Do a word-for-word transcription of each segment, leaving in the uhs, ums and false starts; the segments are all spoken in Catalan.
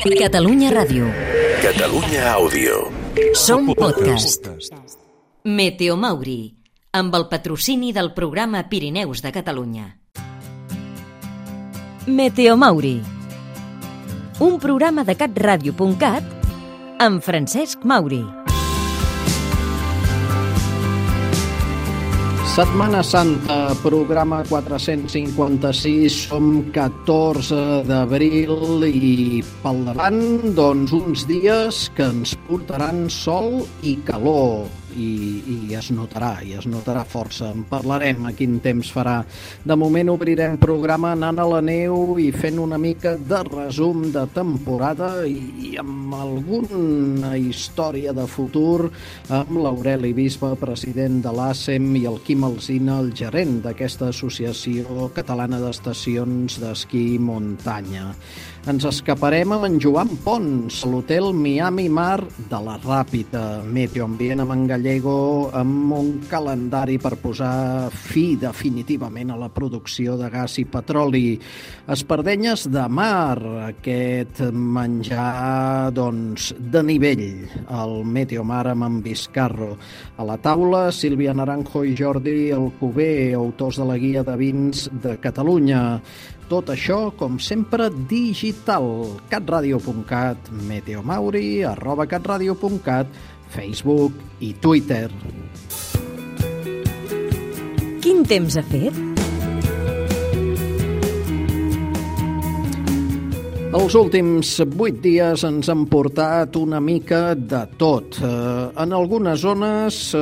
Catalunya Ràdio. Catalunya Àudio. Som podcast. Meteo Mauri, amb el patrocini del programa Pirineus de Catalunya. Meteo Mauri, un programa de catradio punt cat amb Francesc Mauri. Setmana Santa, programa quatre-cents cinquanta-sis, som catorze d'abril i pel davant, doncs, uns dies que ens portaran sol i calor. I, i es notarà, i es notarà força. En parlarem a quin temps farà. De moment obrirem programa anant a la neu i fent una mica de resum de temporada i, i amb alguna història de futur amb l'Aureli Bisbe, president de l'ASEM, i el Quim Alsina, el gerent d'aquesta associació catalana d'estacions d'esquí i muntanya. Ens escaparem amb en Joan Pons, a l'hotel Miami Mar de la Ràpita. Meteoambient amb en Gallego, amb un calendari per posar fi definitivament a la producció de gas i petroli. Espardenyes de mar, aquest menjar, doncs, de nivell, el Meteomar amb en Vizcarro. A la taula, Sílvia Naranjo i Jordi Alcover, autors de la guia de vins de Catalunya. Tot això, com sempre, digital. catradio punt cat, Meteomauri, arroba catradio punt cat, Facebook i Twitter. Quin temps ha fet? Els últims vuit dies ens han portat una mica de tot. Eh, en algunes zones, eh,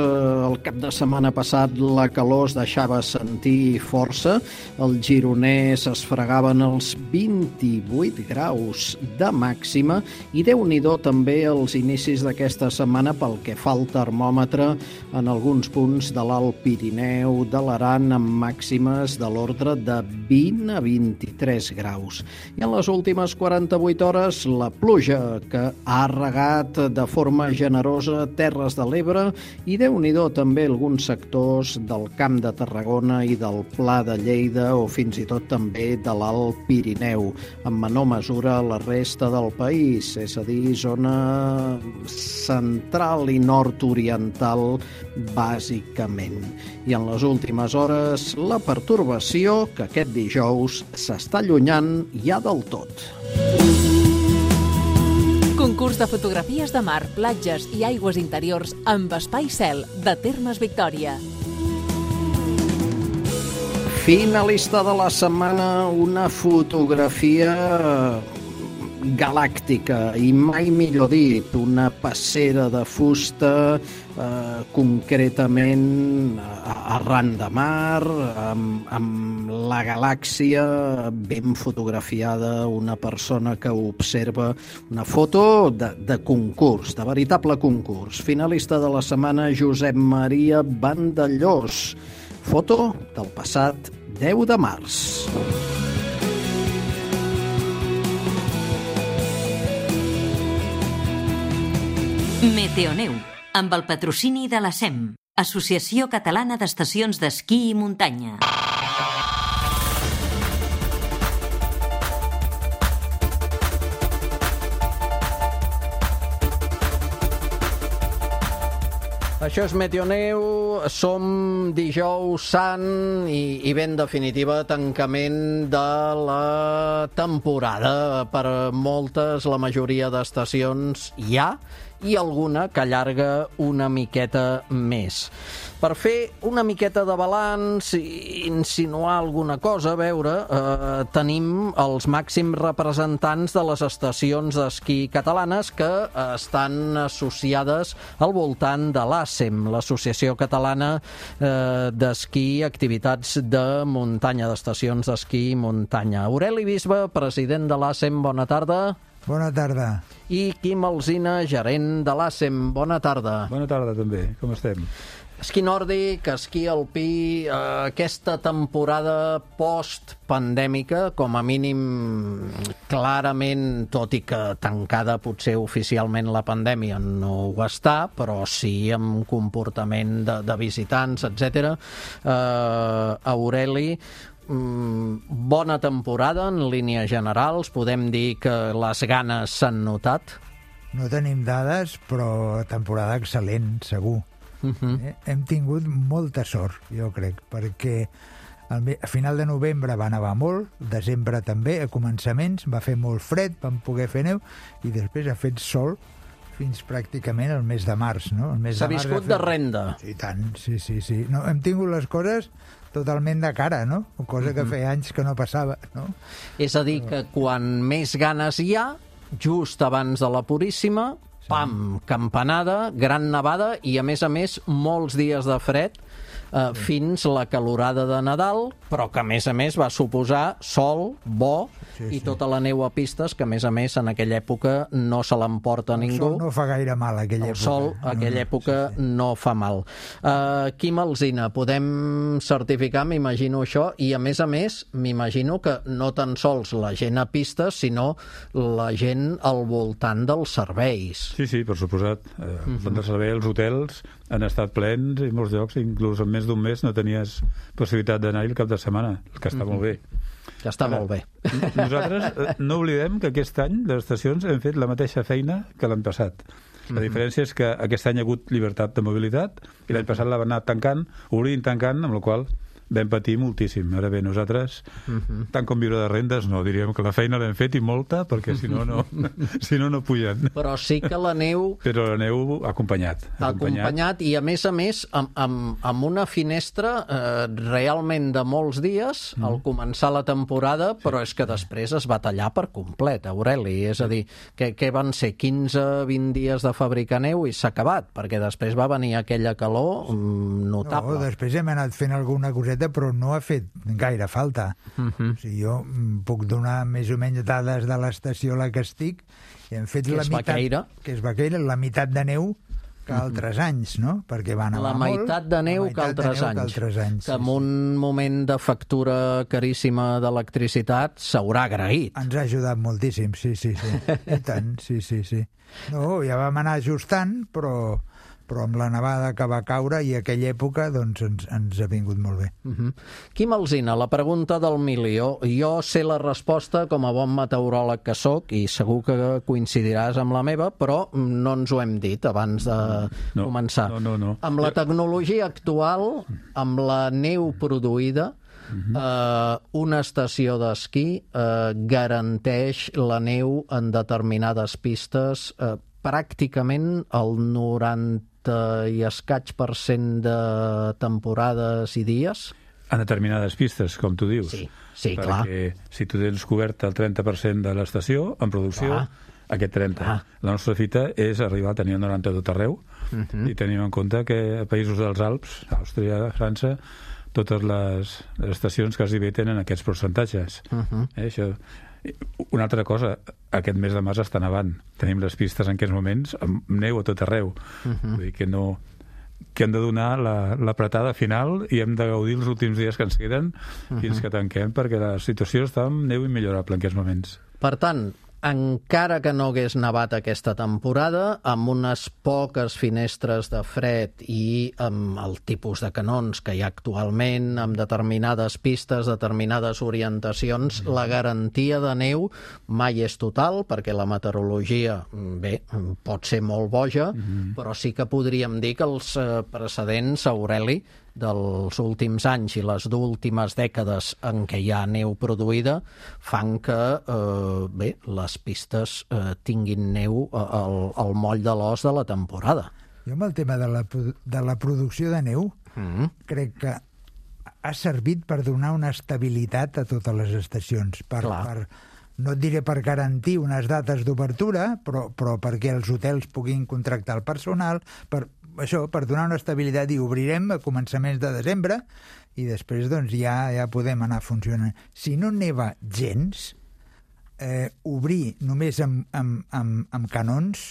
el cap de setmana passat, la calor es deixava sentir força. El gironès es fregaven els vint-i-vuit graus de màxima i Déu-n'hi-do també els inicis d'aquesta setmana pel que fa al termòmetre en alguns punts de l'Alt Pirineu, de l'Aran, amb màximes de l'ordre de vint a vint-i-tres graus. I en les últimes quaranta-vuit hores, la pluja que ha regat de forma generosa Terres de l'Ebre i Déu-n'hi-do també alguns sectors del Camp de Tarragona i del Pla de Lleida o fins i tot també de l'Alt Pirineu, en menor mesura la resta del país, és a dir, zona central i nord-oriental bàsicament. I en les últimes hores, la pertorbació que aquest dijous s'està allunyant ja del tot. Concurs de fotografies de mar, platges i aigües interiors amb Espai Cel de Termes Victòria. Finalista de la setmana, una fotografia galàctica i mai millor dit, una passera de fusta, eh, concretament arran de mar, amb, amb la galàxia ben fotografiada, una persona que observa, una foto de, de concurs, de veritable concurs. Finalista de la setmana, Josep Maria Vandellós, foto del passat deu de març. Meteoneu, amb el patrocini de l'ASEM, Associació Catalana d'Estacions d'Esquí i Muntanya. Això és Meteoneu, som dijous sant i, i ben definitiva tancament de la temporada. Per moltes, la majoria d'estacions hi ha i alguna que allarga una miqueta més. Per fer una miqueta de balanç i insinuar alguna cosa, a veure, eh, tenim els màxims representants de les estacions d'esquí catalanes que eh, estan associades al voltant de l'ASEM, l'Associació Catalana eh, d'Esquí i Activitats de Muntanya, d'Estacions d'Esquí i Muntanya. Aureli Bisbe, president de l'ASEM, bona tarda. Bona tarda. I Quim Alsina, gerent de l'ASEM, bona tarda. Bona tarda també, com estem? Esquí nòrdic, esquí alpí, eh, aquesta temporada post-pandèmica, com a mínim clarament, tot i que tancada potser oficialment la pandèmia no ho està, però sí amb comportament de, de visitants, etcètera. Eh, Aureli, mm, bona temporada en línies generals? Podem dir que les ganes s'han notat? No tenim dades, però temporada excel·lent, segur. Uh-huh. eh? Hem tingut molta sort, jo crec, perquè al me- a final de novembre va nevar molt, desembre també, a començaments, va fer molt fred, vam poder fer neu, i després ha fet sol fins pràcticament el mes de març, no? El mes S'ha de març viscut ha fet... de renda. Sí, tant, sí, sí, sí. No, hem tingut les coses totalment de cara, no? Cosa que feia anys que no passava, no? És a dir, que quan més ganes hi ha, just abans de la Puríssima, pam, campanada, gran nevada i, a més a més, molts dies de fred, eh, fins la calorada de Nadal, però que, a més a més, va suposar sol, bo, Sí, i sí. tota la neu a pistes, que, a més a més, en aquella època no se l'emporta El ningú. sol no fa gaire mal, aquella El època. sol, a aquella època, sí, sí. no fa mal. Uh, Quim Alsina, podem certificar, m'imagino, això, i, a més a més, m'imagino que no tan sols la gent a pistes, sinó la gent al voltant dels serveis. Sí, sí, per suposat. Eh, uh-huh. De servei, els hotels han estat plens i molts llocs, inclús en més d'un mes no tenies possibilitat d'anar-hi el cap de setmana, el que està uh-huh. molt bé. Que està Ara, molt bé. Nosaltres eh, no oblidem que aquest any les estacions hem fet la mateixa feina que l'any passat. La diferència és que aquest any hi ha hagut llibertat de mobilitat i l'any passat la van anar tancant, obrint, tancant, amb la qual vam patir moltíssim. Ara bé, nosaltres, uh-huh. tant com viure de rendes, no, diríem que la feina l'hem fet i molta, perquè si no, no, si no, no pugen. Però sí que la neu... Però la neu ha acompanyat. Ha acompanyat, i, a més a més, amb, amb, amb una finestra eh, realment de molts dies, mm. al començar la temporada, però és que després es va tallar per complet, Aureli. És a dir, que, que van ser quinze a vint dies de fabricar neu i s'ha acabat, perquè després va venir aquella calor mm, notable. No, després hem anat fent alguna coseta, però no ha fet gaire falta. Uh-huh. O sigui, jo puc donar més o menys dades de l'estació a la que estic, i hem fet que la és meitat... Baqueira. Que és Baqueira, la meitat de neu que altres anys, no? Perquè va nevar la meitat molt, de neu, la que, altres neu anys. que altres anys. Que en un moment de factura caríssima d'electricitat s'haurà agraït. Ens ha ajudat moltíssim, sí, sí, sí. I tant, sí, sí, sí. No, ja vam anar ajustant, però... però amb la nevada que va caure i aquella època doncs ens, ens ha vingut molt bé. Uh-huh. Quim Alsina, la pregunta del milió. Jo sé la resposta com a bon meteoròleg que sóc i segur que coincidiràs amb la meva, però no ens ho hem dit abans de no, començar. No, no, no. Amb la tecnologia actual, amb la neu produïda, Uh-huh. Uh, una estació d'esquí uh, garanteix la neu en determinades pistes uh, pràcticament el noranta i escaig per cent de temporades i dies? En determinades pistes, com tu dius. Sí, sí, perquè clar. Perquè si tu tens cobert el trenta per cent de l'estació en producció, clar. Aquest trenta. Clar. La nostra fita és arribar a tenir el noranta tot arreu, uh-huh. i tenim en compte que a països dels Alps, Àustria, França, totes les, les estacions quasi bé tenen aquests percentatges. Uh-huh. Eh, això... Una altra cosa, aquest mes de març està nevant. Tenim les pistes en aquests moments amb neu a tot arreu. Uh-huh. Vull dir que no... que hem de donar l'apretada la, final i hem de gaudir els últims dies que ens queden uh-huh. fins que tanquem, perquè la situació està amb neu immillorable en aquests moments. Per tant, encara que no hagués nevat aquesta temporada, amb unes poques finestres de fred i amb el tipus de canons que hi ha actualment, amb determinades pistes, determinades orientacions, mm. la garantia de neu mai és total, perquè la meteorologia, bé, pot ser molt boja, mm. però sí que podríem dir que els precedents, Aureli, dels últims anys i les últimes dècades en què hi ha neu produïda fan que, eh, bé, les pistes eh, tinguin neu al, al moll de l'os de la temporada. Jo amb el tema de la, de la producció de neu mm. crec que ha servit per donar una estabilitat a totes les estacions, per, per, no et diré per garantir unes dates d'obertura, però, però perquè els hotels puguin contractar el personal, per això, per donar una estabilitat, i obrirem a començaments de desembre i després doncs ja, ja podem anar funcionant. Si no neva gens, eh, obrir només amb, amb, amb, amb canons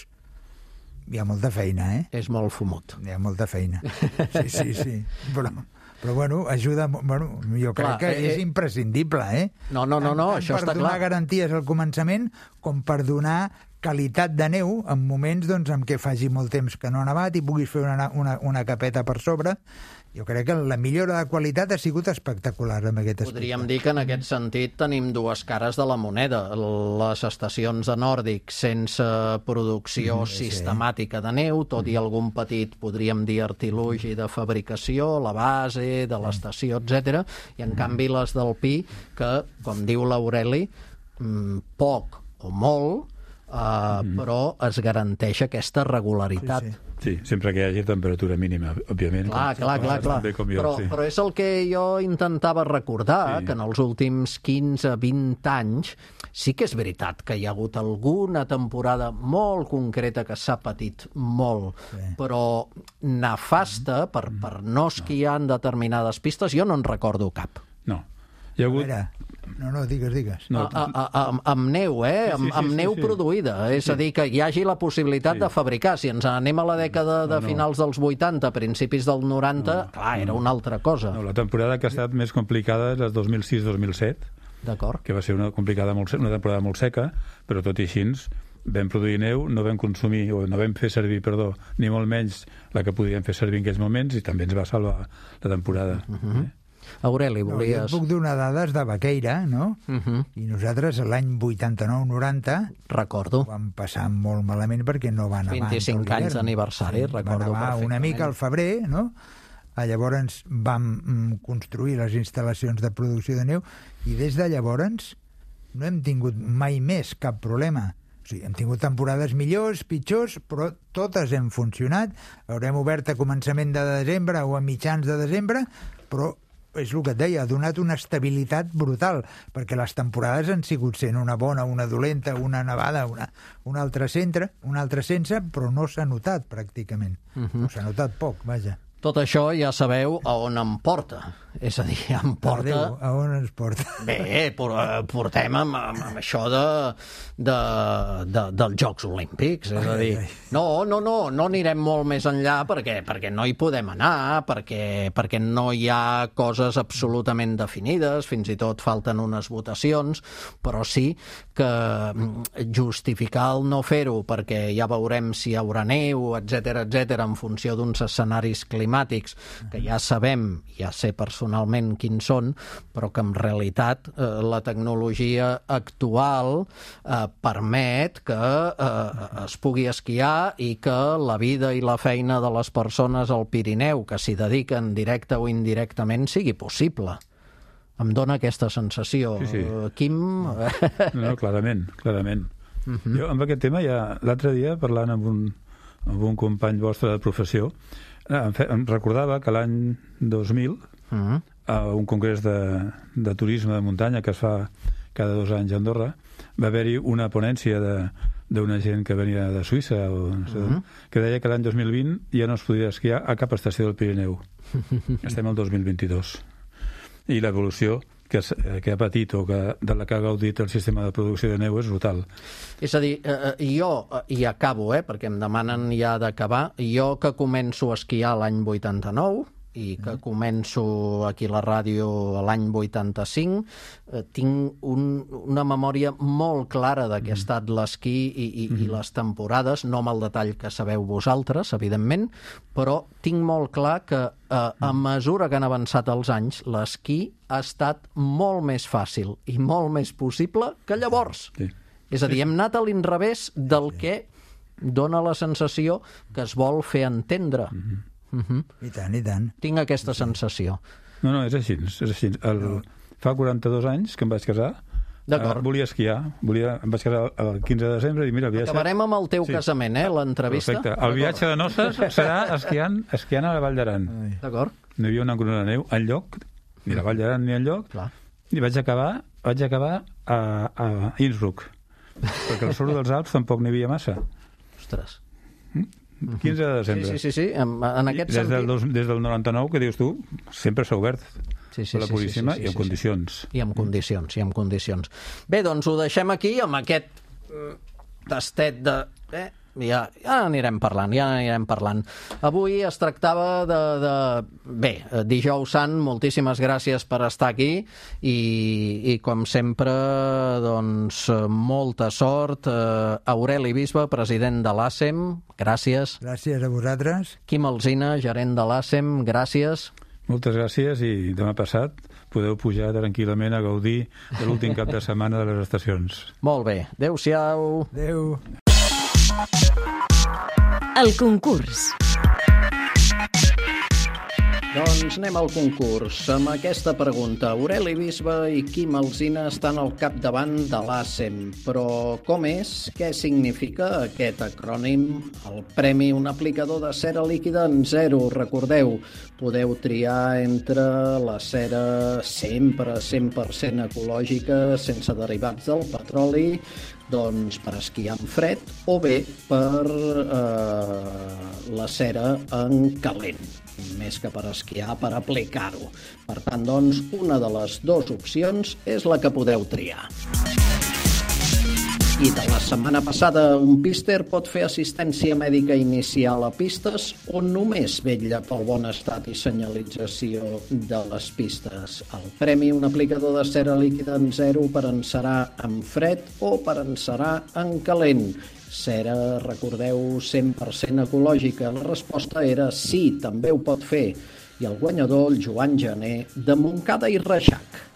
hi ha molta feina, eh? És molt fumut. Hi ha molta feina. Sí, sí, sí. Però, però bueno, ajuda... Bueno, jo crec clar, que eh, és imprescindible, eh? No, no, no, no, tant, això està clar. Per donar garanties al començament com per donar qualitat de neu en moments doncs, en què faci molt temps que no ha nevat i puguis fer una, una, una capeta per sobre. Jo crec que la millora de qualitat ha sigut espectacular en aquest aspecte. Podríem dir que en aquest sentit tenim dues cares de la moneda. Les estacions de Nòrdic sense producció mm, sí. sistemàtica de neu, tot i algun petit, podríem dir, artilugi de fabricació, la base de l'estació, etcètera. I en canvi les del Pi, que, com diu l'Aureli, poc o molt, uh, mm. però es garanteix aquesta regularitat. Sí, sí. Sí, sempre que hi hagi temperatura mínima, òbviament. Clar, clar, clar, clar. Jo, però, sí. però és el que jo intentava recordar, sí. que en els últims quinze vint anys sí que és veritat que hi ha hagut alguna temporada molt concreta que s'ha patit molt, sí. però nefasta per, per no esquiar en determinades pistes, jo no en recordo cap. No. Hi ha hagut... Veure, no, no, digues, digues. No, a, a, a, amb neu, eh? Sí, sí, amb, amb sí, neu sí, sí. produïda. És sí. a dir, que hi hagi la possibilitat sí. de fabricar. Si ens anem a la dècada de no, no. finals dels vuitanta, principis del noranta, no, clar, era no. una altra cosa. No, la temporada que ha estat més complicada és la dos mil sis dos mil set, d'acord, que va ser una, complicada molt, una temporada molt seca, però tot i així vam produir neu, no vam consumir, o no vam fer servir, perdó, ni molt menys la que podíem fer servir en aquells moments, i també ens va salvar la temporada. Uh-huh. eh? Aureli, volies... No, jo puc donar dades de Baqueira, no? Uh-huh. I nosaltres l'any vuitanta-nou noranta recordo. Vam passar molt malament perquè no va nevar. vint-i-cinc anys d'aniversari, recordo perfectament. Va nevar una mica al febrer, no? Llavors vam construir les instal·lacions de producció de neu i des de llavors no hem tingut mai més cap problema. O sigui, hem tingut temporades millors, pitjors, però totes hem funcionat. Haurem obert a començament de desembre o a mitjans de desembre, però és el que et deia, ha donat una estabilitat brutal, perquè les temporades han sigut sent una bona, una dolenta, una nevada, una, una altra centre, una altra sense, però no s'ha notat pràcticament. Uh-huh. No s'ha notat poc, vaja. Tot això ja sabeu a on em porta. És a dir, em porta... Déu, a on ens porta? Bé, portem amb, amb, amb això de, de, de, dels Jocs Olímpics. És a dir, no, no, no, no anirem molt més enllà perquè, perquè no hi podem anar, perquè, perquè no hi ha coses absolutament definides, fins i tot falten unes votacions, però sí que justificar el no fer-ho perquè ja veurem si hi haurà neu, etcètera, etcètera, en funció d'uns escenaris climàtics que ja sabem, ja sé personalment quins són, però que en realitat eh, la tecnologia actual eh, permet que eh, es pugui esquiar i que la vida i la feina de les persones al Pirineu que s'hi dediquen directe o indirectament sigui possible. Em dona aquesta sensació. Sí, sí. Quim... No, no, clarament, clarament. Uh-huh. Jo amb aquest tema ja l'altre dia parlant amb un, amb un company vostre de professió em, fe, em recordava que l'any dos mil uh-huh. a un congrés de, de turisme de muntanya que es fa cada dos anys a Andorra va haver-hi una ponència d'una gent que venia de Suïssa o no sé, uh-huh. que deia que l'any dos mil vint ja no es podia esquiar a cap estació del Pirineu. Estem al dos mil vint-i-dos. I l'evolució que, que ha patit o que, de la que ha gaudit el sistema de producció de neu és brutal. És a dir, eh, jo, i acabo, eh, perquè em demanen ja d'acabar, jo que començo a esquiar l'any vuitanta-nou, i que començo aquí a la ràdio l'any vuitanta-cinc, eh, tinc un, una memòria molt clara de què ha estat l'esquí i, i, i les temporades, no amb el detall que sabeu vosaltres, evidentment, però tinc molt clar que eh, a mesura que han avançat els anys, l'esquí ha estat molt més fàcil i molt més possible que llavors. Sí. És a dir, hem anat a l'inrevés del que dona la sensació que es vol fer entendre. Mm-hmm. Uh-huh. I tant, i tant. Tinc aquesta sensació. No, no, és així. És així. El, no. Fa quaranta-dos anys que em vaig casar. D'acord. Uh, volia esquiar. Volia, em vaig casar el quinze de desembre i mira... El viatge... Acabarem amb el teu sí. casament, eh, l'entrevista. Perfecte. El viatge de noces serà esquiant, esquiant a la Vall d'Aran. D'acord. No hi havia una corona de neu enlloc, ni la Vall d'Aran ni enlloc, Clar. i vaig acabar, vaig acabar a, a Innsbruck, perquè al sud dels Alps tampoc n'hi havia massa. Ostres. Mm? quinze de desembre. Sí, sí, sí, sí. En, en aquest des sentit... Del dos, des del noranta-nou, que dius tu, sempre s'ha obert sí, sí, la sí, Puríssima sí, sí, sí, i en sí, condicions. Sí. I en condicions, i en condicions. Bé, doncs ho deixem aquí, amb aquest tastet de... Eh, ja, ja anirem parlant, ja anirem parlant. Avui es tractava de... de... Bé, dijous sant, moltíssimes gràcies per estar aquí i, i com sempre, doncs, molta sort. Aureli Bisbe, president de l'ASEM, gràcies. Gràcies a vosaltres. Quim Alsina, gerent de l'ASEM, gràcies. Moltes gràcies i demà passat podeu pujar tranquil·lament a gaudir de l'últim cap de setmana de les estacions. Molt bé. Adéu-siau. Adéu. El concurs. Doncs anem al concurs. Amb aquesta pregunta, Aureli Bisbe i Quim Alsina estan al capdavant de l'ASEM. Però com és? Què significa aquest acrònim? El premi, un aplicador de cera líquida en zero. Recordeu, podeu triar entre la cera sempre cent per cent ecològica, sense derivats del petroli, doncs per esquiar en fred, o bé per eh, la cera en calent, més que per esquiar, per aplicar-ho. Per tant, doncs, una de les dues opcions és la que podeu triar. I de la setmana passada, un píster pot fer assistència mèdica inicial a pistes o només vetlla pel bon estat i senyalització de les pistes. El premi, un aplicador de cera líquida en zero per encerar en fred o per encerar en calent. Cera, recordeu, cent per cent ecològica. La resposta era sí, també ho pot fer. I el guanyador, el Joan Gené, de Montcada i Reixac.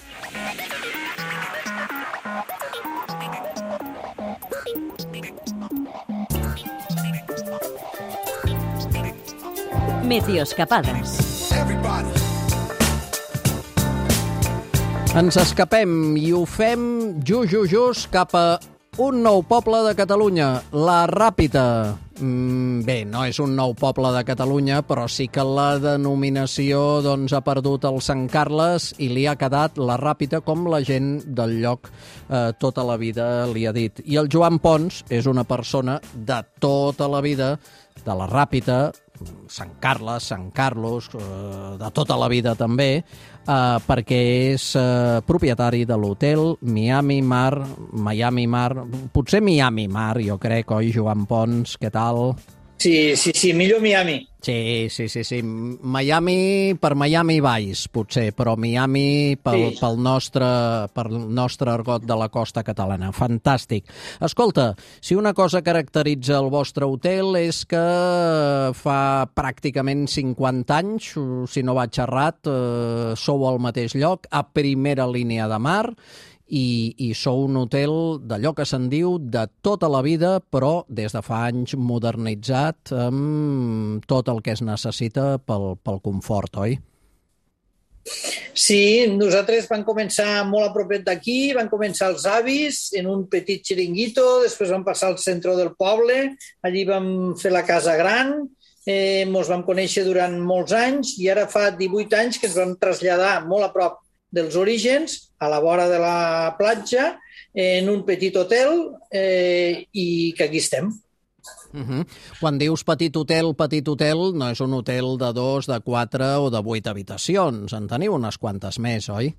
Meteoscapades. Ens escapem i ho fem just, just, just cap a un nou poble de Catalunya, la Ràpita. Mm, bé, no és un nou poble de Catalunya, però sí que la denominació doncs, ha perdut el Sant Carles i li ha quedat la Ràpita, com la gent del lloc eh, tota la vida li ha dit. I el Joan Pons és una persona de tota la vida, de la Ràpita, Sant Carles, Sant Carlos, eh, de tota la vida també, eh, perquè és eh, propietari de l'hotel Miami Mar, Miami Mar, potser Miami Mar, jo crec, oi, Joan Pons, què tal? Sí, sí, sí, millor Miami. Sí, sí, sí, sí. Miami per Miami Vice, potser, però Miami pel, sí. pel, nostre, pel nostre argot de la costa catalana. Fantàstic. Escolta, si una cosa caracteritza el vostre hotel és que fa pràcticament cinquanta anys, si no vaig errat, eh, sou al mateix lloc, a primera línia de mar, I, i sou un hotel d'allò que se'n diu de tota la vida, però des de fa anys modernitzat amb tot el que es necessita pel, pel confort, oi? Sí, nosaltres vam començar molt a propet d'aquí, van començar els avis en un petit xiringuito, després vam passar al centre del poble, allí vam fer la casa gran, eh, ens vam conèixer durant molts anys i ara fa divuit anys que ens vam traslladar molt a prop dels orígens, a la vora de la platja, en un petit hotel, eh, i que aquí estem. Uh-huh. Quan dius petit hotel, petit hotel, no és un hotel de dos, de quatre o de vuit habitacions. En teniu unes quantes més, oi?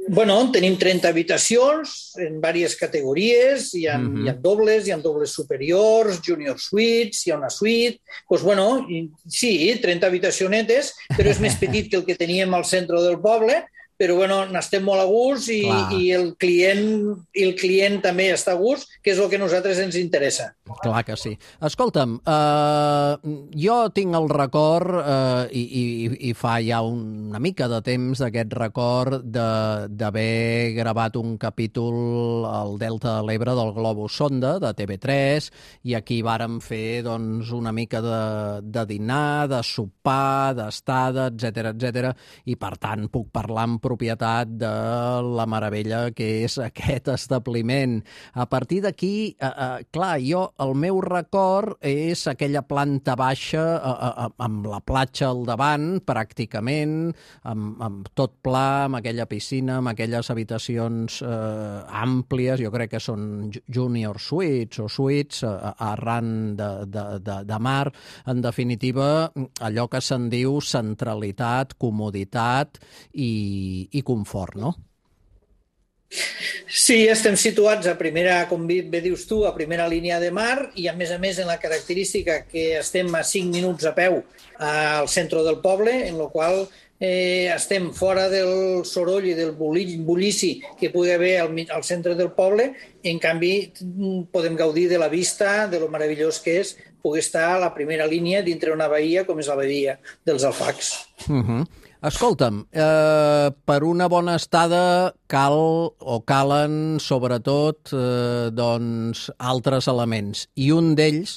Bueno, tenim trenta habitacions en diverses categories, hi ha, uh-huh. hi ha dobles, hi ha dobles superiors, junior suites, hi ha una suite... Pues bueno, sí, trenta habitacionetes, però és més petit que el que teníem al centre del poble, però bueno, n'estem molt a gust i, i, el client, i el client també està a gust, que és el que a nosaltres ens interessa. Clar que sí. Escolta'm, eh, jo tinc el record, eh, i, i, i fa ja una mica de temps d'aquest record d'haver gravat un capítol al Delta de l'Ebre del Globus Sonda, de T V tres, i aquí vàrem fer doncs, una mica de, de dinar, de sopar, d'estada, etcètera, etcètera, i per tant puc parlar amb propietat de la meravella que és aquest establiment. A partir d'aquí, eh, eh, clar, jo, el meu record és aquella planta baixa eh, eh, amb la platja al davant, pràcticament, amb, amb tot pla, amb aquella piscina, amb aquelles habitacions eh, àmplies, jo crec que són junior suites o suites eh, arran de, de, de, de mar. En definitiva, allò que se'n diu centralitat, comoditat i i confort, no? Sí, estem situats a primera, com bé dius tu, a primera línia de mar i, a més a més, en la característica que estem a cinc minuts a peu al centre del poble, en la qual eh, estem fora del soroll i del bullici que pugui haver al, al centre del poble. En canvi, podem gaudir de la vista, de lo meravellós que és poder estar a la primera línia dintre una bahia com és la bahia dels Alfacs. Uh-huh. Escolta'm, eh, per una bona estada cal o calen, sobretot, eh, doncs, altres elements. I un d'ells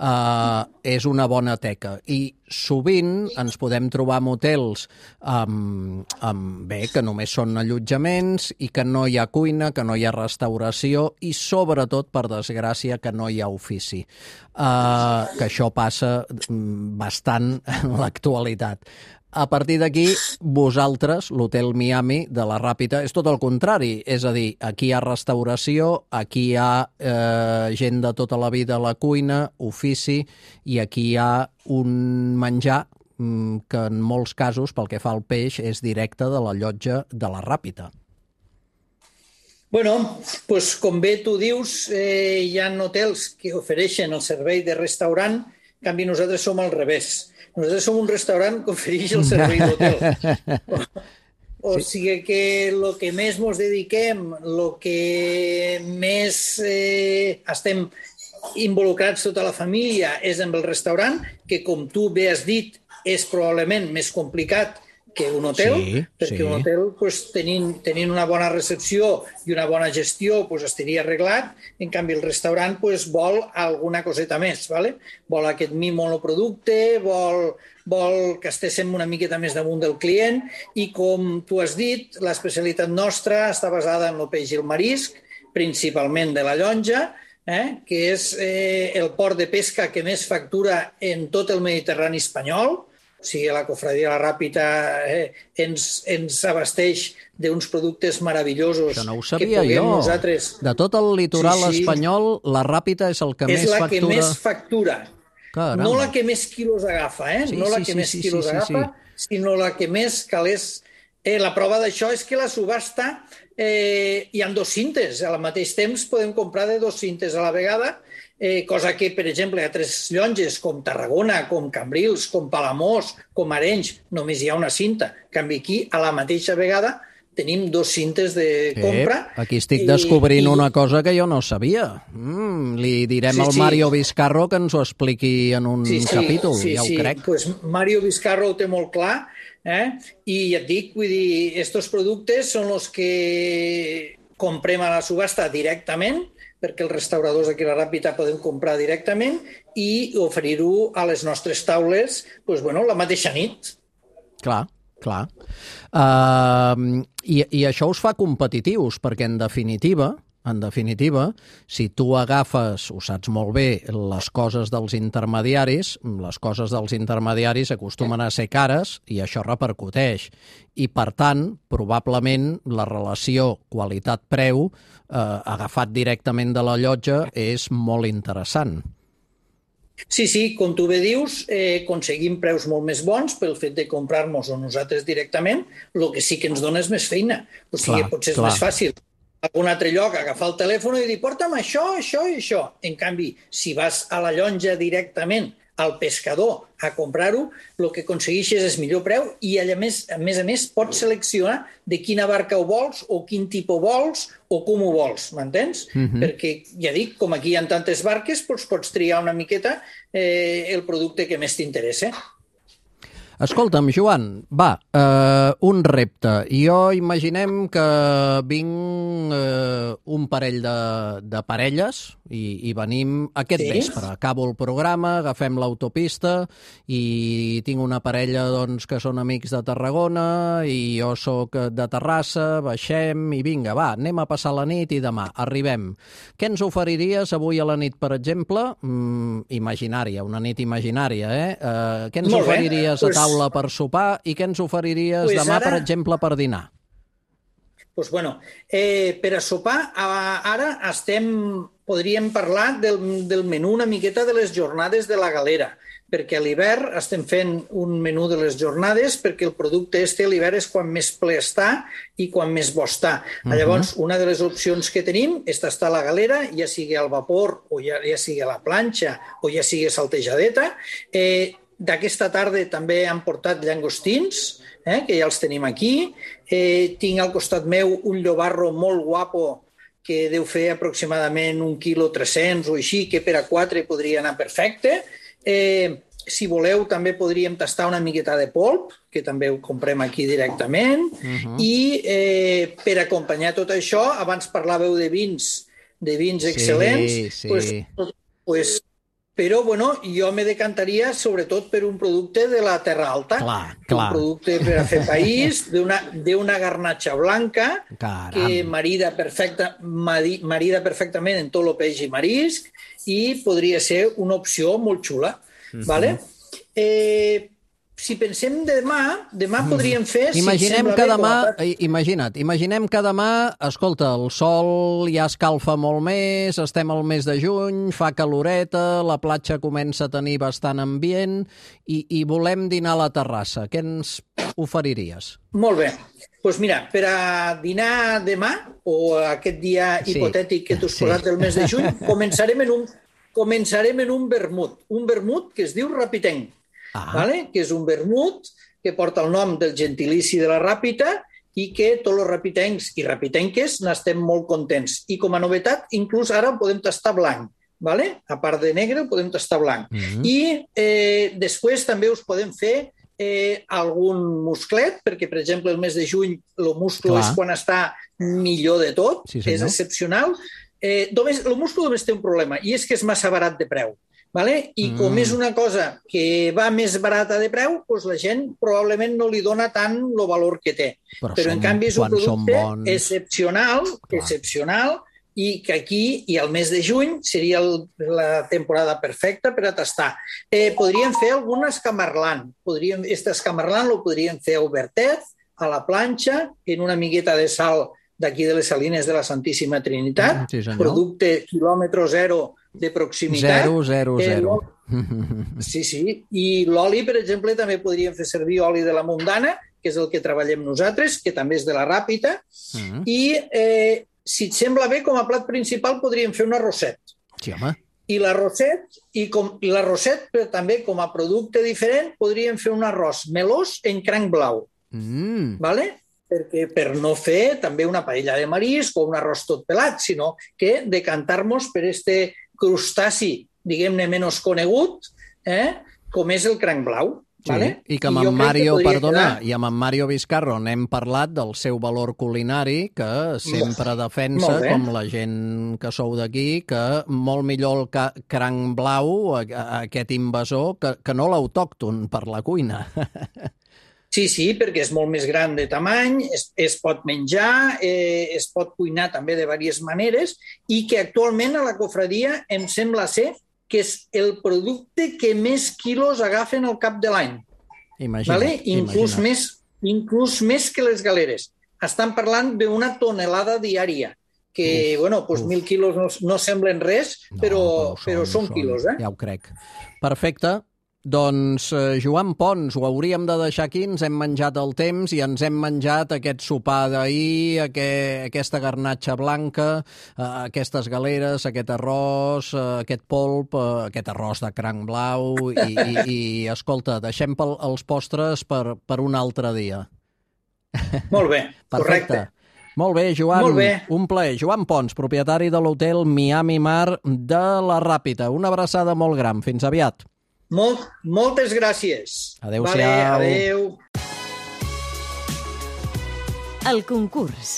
eh, és una bona teca. I sovint ens podem trobar motels amb, amb, bé, que només són allotjaments i que no hi ha cuina, que no hi ha restauració i, sobretot, per desgràcia, que no hi ha ofici. Eh, que això passa bastant en l'actualitat. A partir d'aquí, vosaltres, l'Hotel Miami de la Ràpita, és tot el contrari. És a dir, aquí hi ha restauració, aquí hi ha eh, gent de tota la vida a la cuina, ofici, i aquí hi ha un menjar mm, que en molts casos, pel que fa al peix, és directe de la llotja de la Ràpita. Bueno, pues, com bé tu dius, eh, hi ha hotels que ofereixen el servei de restaurant, en canvi nosaltres som al revés. Nosaltres som un restaurant que ofereix el servei d'hotel. O, o sí. sigui que el que més ens dediquem, el que més eh, estem involucrats tota la família és amb el restaurant, que com tu bé has dit és probablement més complicat que un hotel, sí, perquè sí. Un hotel, pues, tenint, tenint una bona recepció i una bona gestió, pues, estaria arreglat. En canvi, el restaurant pues, vol alguna coseta més, ¿vale? Vol aquest mim monoproducte, vol, vol que estéssim una miqueta més damunt del client i, com tu has dit, l'especialitat nostra està basada en el peix i el marisc, principalment de la llonja, eh? que és eh, el port de pesca que més factura en tot el Mediterrani espanyol. O sigui, la Cofradia La Ràpita eh, ens, ens abasteix d'uns productes meravellosos. Això no ho sabia jo. Nosaltres... De tot el litoral sí, sí. espanyol, la Ràpita és el que és més factura. És la que més factura. Caramba. No la que més quilos agafa, eh? Sí, no la sí, que sí, més sí, quilos sí, sí, agafa, sí. sinó la que més calés. Eh, la prova d'això és que la subhasta eh, hi ha dos cintes. Al mateix temps podem comprar de dos cintes a la vegada, Eh, cosa que, per exemple, hi ha tres llonges, com Tarragona, com Cambrils, com Palamós, com Arenys, només hi ha una cinta. En canvi, aquí, a la mateixa vegada, tenim dos cintes de compra. Eh, aquí estic descobrint i... una cosa que jo no sabia. Mm, li direm sí, al sí. Mario Vizcarro que ens ho expliqui en un sí, sí, capítol, sí, ja sí. ho crec. Pues Mario Vizcarro ho té molt clar, eh? I ja et dic, vull dir, estos productes són els que comprem a la subhasta directament, perquè els restauradors d'aquí a la Ràpita podem comprar directament i oferir-ho a les nostres taules pues, bueno, la mateixa nit. Clar, clar. Uh, i, I això us fa competitius, perquè en definitiva, en definitiva, si tu agafes, ho saps molt bé, les coses dels intermediaris, les coses dels intermediaris acostumen a ser cares i això repercuteix. I, per tant, probablement la relació qualitat-preu eh, agafat directament de la llotja és molt interessant. Sí, sí, com tu bé dius, eh, aconseguim preus molt més bons pel fet de comprar-nos-ho nosaltres directament, el que sí que ens dona és més feina. O sigui, clar, potser és clar. Més fàcil a algun altre lloc agafar el telèfon i dir porta'm això, això i això. En canvi, si vas a la llonja directament al pescador a comprar-ho, el que aconsegueixes és millor preu i, a més a més, a més pots seleccionar de quina barca ho vols o quin tipus vols o com ho vols, m'entens? Uh-huh. Perquè, ja dic, com aquí hi ha tantes barques, doncs pots triar una miqueta eh, el producte que més t'interessa. Escolta'm, Joan, va, eh, un repte. Jo imaginem que vinc eh, un parell de, de parelles i, i venim aquest sí? vespre. Acabo el programa, agafem l'autopista i tinc una parella doncs, que són amics de Tarragona i jo sóc de Terrassa, baixem i vinga, va, anem a passar la nit i demà arribem. Què ens oferiries avui a la nit, per exemple? Mm, imaginària, una nit imaginària, eh? eh què ens Molt oferiries bé. a taula per sopar i què ens oferiries pues demà, ara... per exemple, per dinar? Doncs, pues bueno, eh, per a sopar, ara estem, podríem parlar del, del menú una miqueta de les jornades de la galera, perquè a l'hivern estem fent un menú de les jornades perquè el producte este a l'hivern és quan més ple està i quan més bo està. Uh-huh. Llavors, una de les opcions que tenim és tastar la galera, ja sigui al vapor o ja, ja sigui a la planxa o ja sigui saltejadeta. Eh, D'aquesta tarda també han portat llangostins, eh, que ja els tenim aquí. Eh, tinc al costat meu un llobarro molt guapo que deu fer aproximadament un quilo tres-cents o així, que per a quatre podria anar perfecte. Eh, si voleu, també podríem tastar una miqueta de polp, que també ho comprem aquí directament. Uh-huh. I eh, per acompanyar tot això, abans parlàveu de vins, de vins excel·lents, sí, sí. Pues, pues, però bueno, jo me decantaria sobretot per un producte de la Terra Alta, clar, clar. Un producte per a fer país, d'una garnatxa blanca, Caram. que marida, perfecta, marida perfectament en tot el peix i marisc, i podria ser una opció molt xula. Uh-huh. Vale? Eh, si pensem demà, demà podríem fer... Imaginem si que demà, la... imagina't, imaginem que demà, escolta, el sol ja escalfa molt més, estem al mes de juny, fa caloreta, la platja comença a tenir bastant ambient i, i volem dinar a la terrassa. Què ens oferiries? Molt bé. Doncs pues mira, per a dinar demà, o aquest dia sí. hipotètic que t'ho has posat del mes de juny, començarem en un, començarem en un vermut. Un vermut que es diu Rapitenc. Ah. Vale? Que és un vermut que porta el nom del gentilici de la Ràpita i que tots els rapitencs i rapitenques n'estem molt contents. I com a novetat, inclús ara podem tastar blanc. Vale? A part de negre, podem tastar blanc. Mm-hmm. I eh, després també us podem fer eh, algun musclet, perquè, per exemple, el mes de juny el musclo Clar. és quan està millor de tot, sí, és excepcional. Eh, només, el musclo només té un problema, i és que és massa barat de preu. Vale? I mm. com és una cosa que va més barata de preu, doncs la gent probablement no li dona tant el valor que té. Però, Però som, en canvi és un producte bons... excepcional, Clar. excepcional, i que aquí, i al mes de juny, seria el, la temporada perfecta per a tastar. Eh, podríem fer algun escamarlant. Podríem, este escamarlant el podríem fer a obertet, a la planxa, en una miqueta de sal d'aquí de les Salines de la Santíssima Trinitat, sí, producte quilòmetre zero de proximitat. Zero, zero, zero. Eh, sí, sí. I l'oli, per exemple, també podríem fer servir oli de la Mundana, que és el que treballem nosaltres, que també és de la Ràpita. Mm. I, eh, si et sembla bé, com a plat principal podríem fer un arrosset. Sí, home. I l'arrosset, i, com, i l'arrosset, però també com a producte diferent, podríem fer un arròs melós en cranc blau. Mm. Vale? Perquè per no fer també una paella de marisc o un arròs tot pelat, sinó que decantar-nos per este crustaci, diguem-ne, menys conegut, eh, com és el cranc blau. Sí, vale? I que amb en Mario, perdona, quedar... i amb en Mario Vizcarro n'hem parlat del seu valor culinari, que sempre defensa, com la gent que sou d'aquí, que molt millor el ca cranc blau, aquest invasor, que, que no l'autòcton per la cuina. Sí, sí, perquè és molt més gran de tamany, es, es pot menjar, eh, es pot cuinar també de diverses maneres, i que actualment a la cofradia em sembla ser que és el producte que més quilos agafen al cap de l'any. Imagina't, vale? inclús, imagina't. Més, inclús més que les galeres. Estan parlant d'una tonelada diària, que, uf, bueno, doncs uf. mil quilos no, no semblen res, no, però, però, són, però són, són quilos, eh? Ja ho crec. Perfecte. Doncs, eh, Joan Pons, ho hauríem de deixar aquí, ens hem menjat el temps i ens hem menjat aquest sopar d'ahir, aquest, aquesta garnatxa blanca, eh, aquestes galeres, aquest arròs, eh, aquest polp, eh, aquest arròs de cranc blau i, i, i escolta, deixem pel, els postres per, per un altre dia. Molt bé, correcte. Molt bé, Joan, Molt bé. un plaer. Joan Pons, propietari de l'hotel Miami Mar de la Ràpita. Una abraçada molt gran. Fins aviat. Molt, moltes gràcies. Adéu-siau. Vale, adéu. El concurs.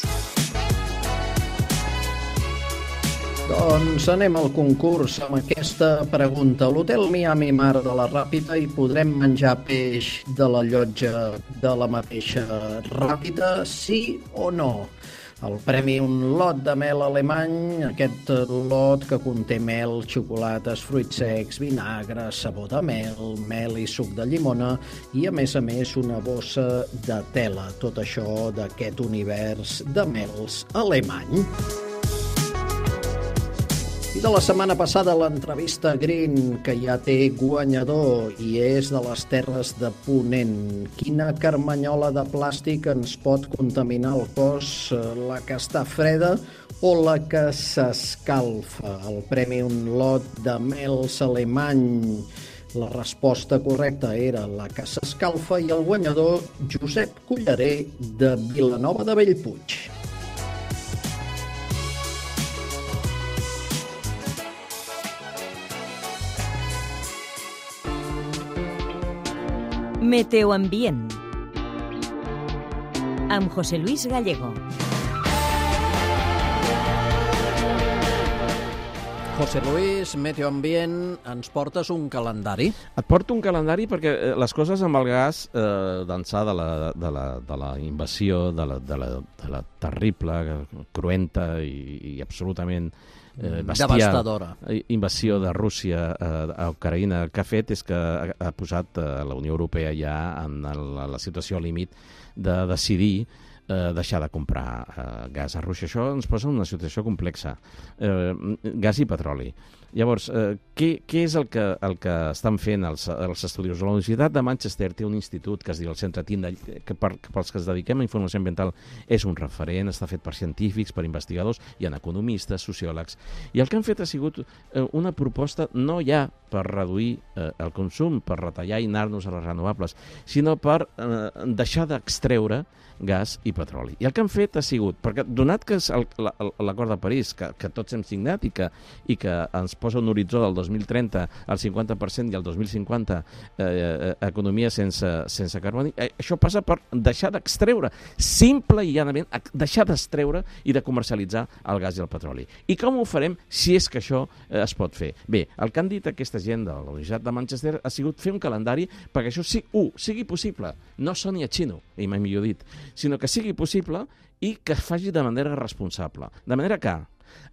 Doncs anem al concurs amb aquesta pregunta. A l'hotel Miami Mar de la Ràpita hi podrem menjar peix de la llotja de la mateixa Ràpita, sí o no? El premi, un lot de mel alemany, aquest lot que conté mel, xocolates, fruits secs, vinagre, sabó de mel, mel i suc de llimona i, a més a més, una bossa de tela. Tot això d'aquest univers de mels alemany. I de la setmana passada l'entrevista Green, que ja té guanyador i és de les Terres de Ponent. Quina carmanyola de plàstic ens pot contaminar el cos, la que està freda o la que s'escalfa? El premi un lot de mels alemany. La resposta correcta era la que s'escalfa i el guanyador Josep Collarer de Vilanova de Bellpuig. Meteoambient amb José Luis Gallego. José Luis, Meteoambient, ens portes un calendari? Et porto un calendari perquè les coses amb el gas, eh, d'ençà de, la, de, la, de la invasió, de la, de la, de la terrible, cruenta i, i absolutament eh, bestial devastadora invasió de Rússia eh, a Ucraïna, el que ha fet és que ha, ha posat eh, la Unió Europea ja en el, la situació límit de decidir Eh, deixar de comprar eh, gas a Rússia. Això ens posa en una situació complexa. Eh, gas i petroli. Llavors, eh, què, què és el que, el que estan fent els, els estudiosos? La Universitat de Manchester té un institut que es diu el Centre Tyndall, que, per, que pels que es dediquem a informació ambiental és un referent, està fet per científics, per investigadors, hi ha economistes, sociòlegs, i el que han fet ha sigut eh, una proposta no ja per reduir eh, el consum, per retallar i anar-nos a les renovables, sinó per eh, deixar d'extreure gas i petroli. I el que han fet ha sigut, perquè donat que és l'acord de París, que, que tots hem signat i que, i que ens posa un horitzó del dos mil trenta al cinquanta per cent i el dos mil cinquanta eh, economia sense, sense carboni, eh, això passa per deixar d'extreure, simple i llanament, deixar d'extreure i de comercialitzar el gas i el petroli. I com ho farem si és que això eh, es pot fer? Bé, el que han dit aquesta gent de la Universitat de Manchester ha sigut fer un calendari perquè això sí, uh, sigui possible, no soni a xino, i mai millor dit, sinó que sigui possible i que es faci de manera responsable. De manera que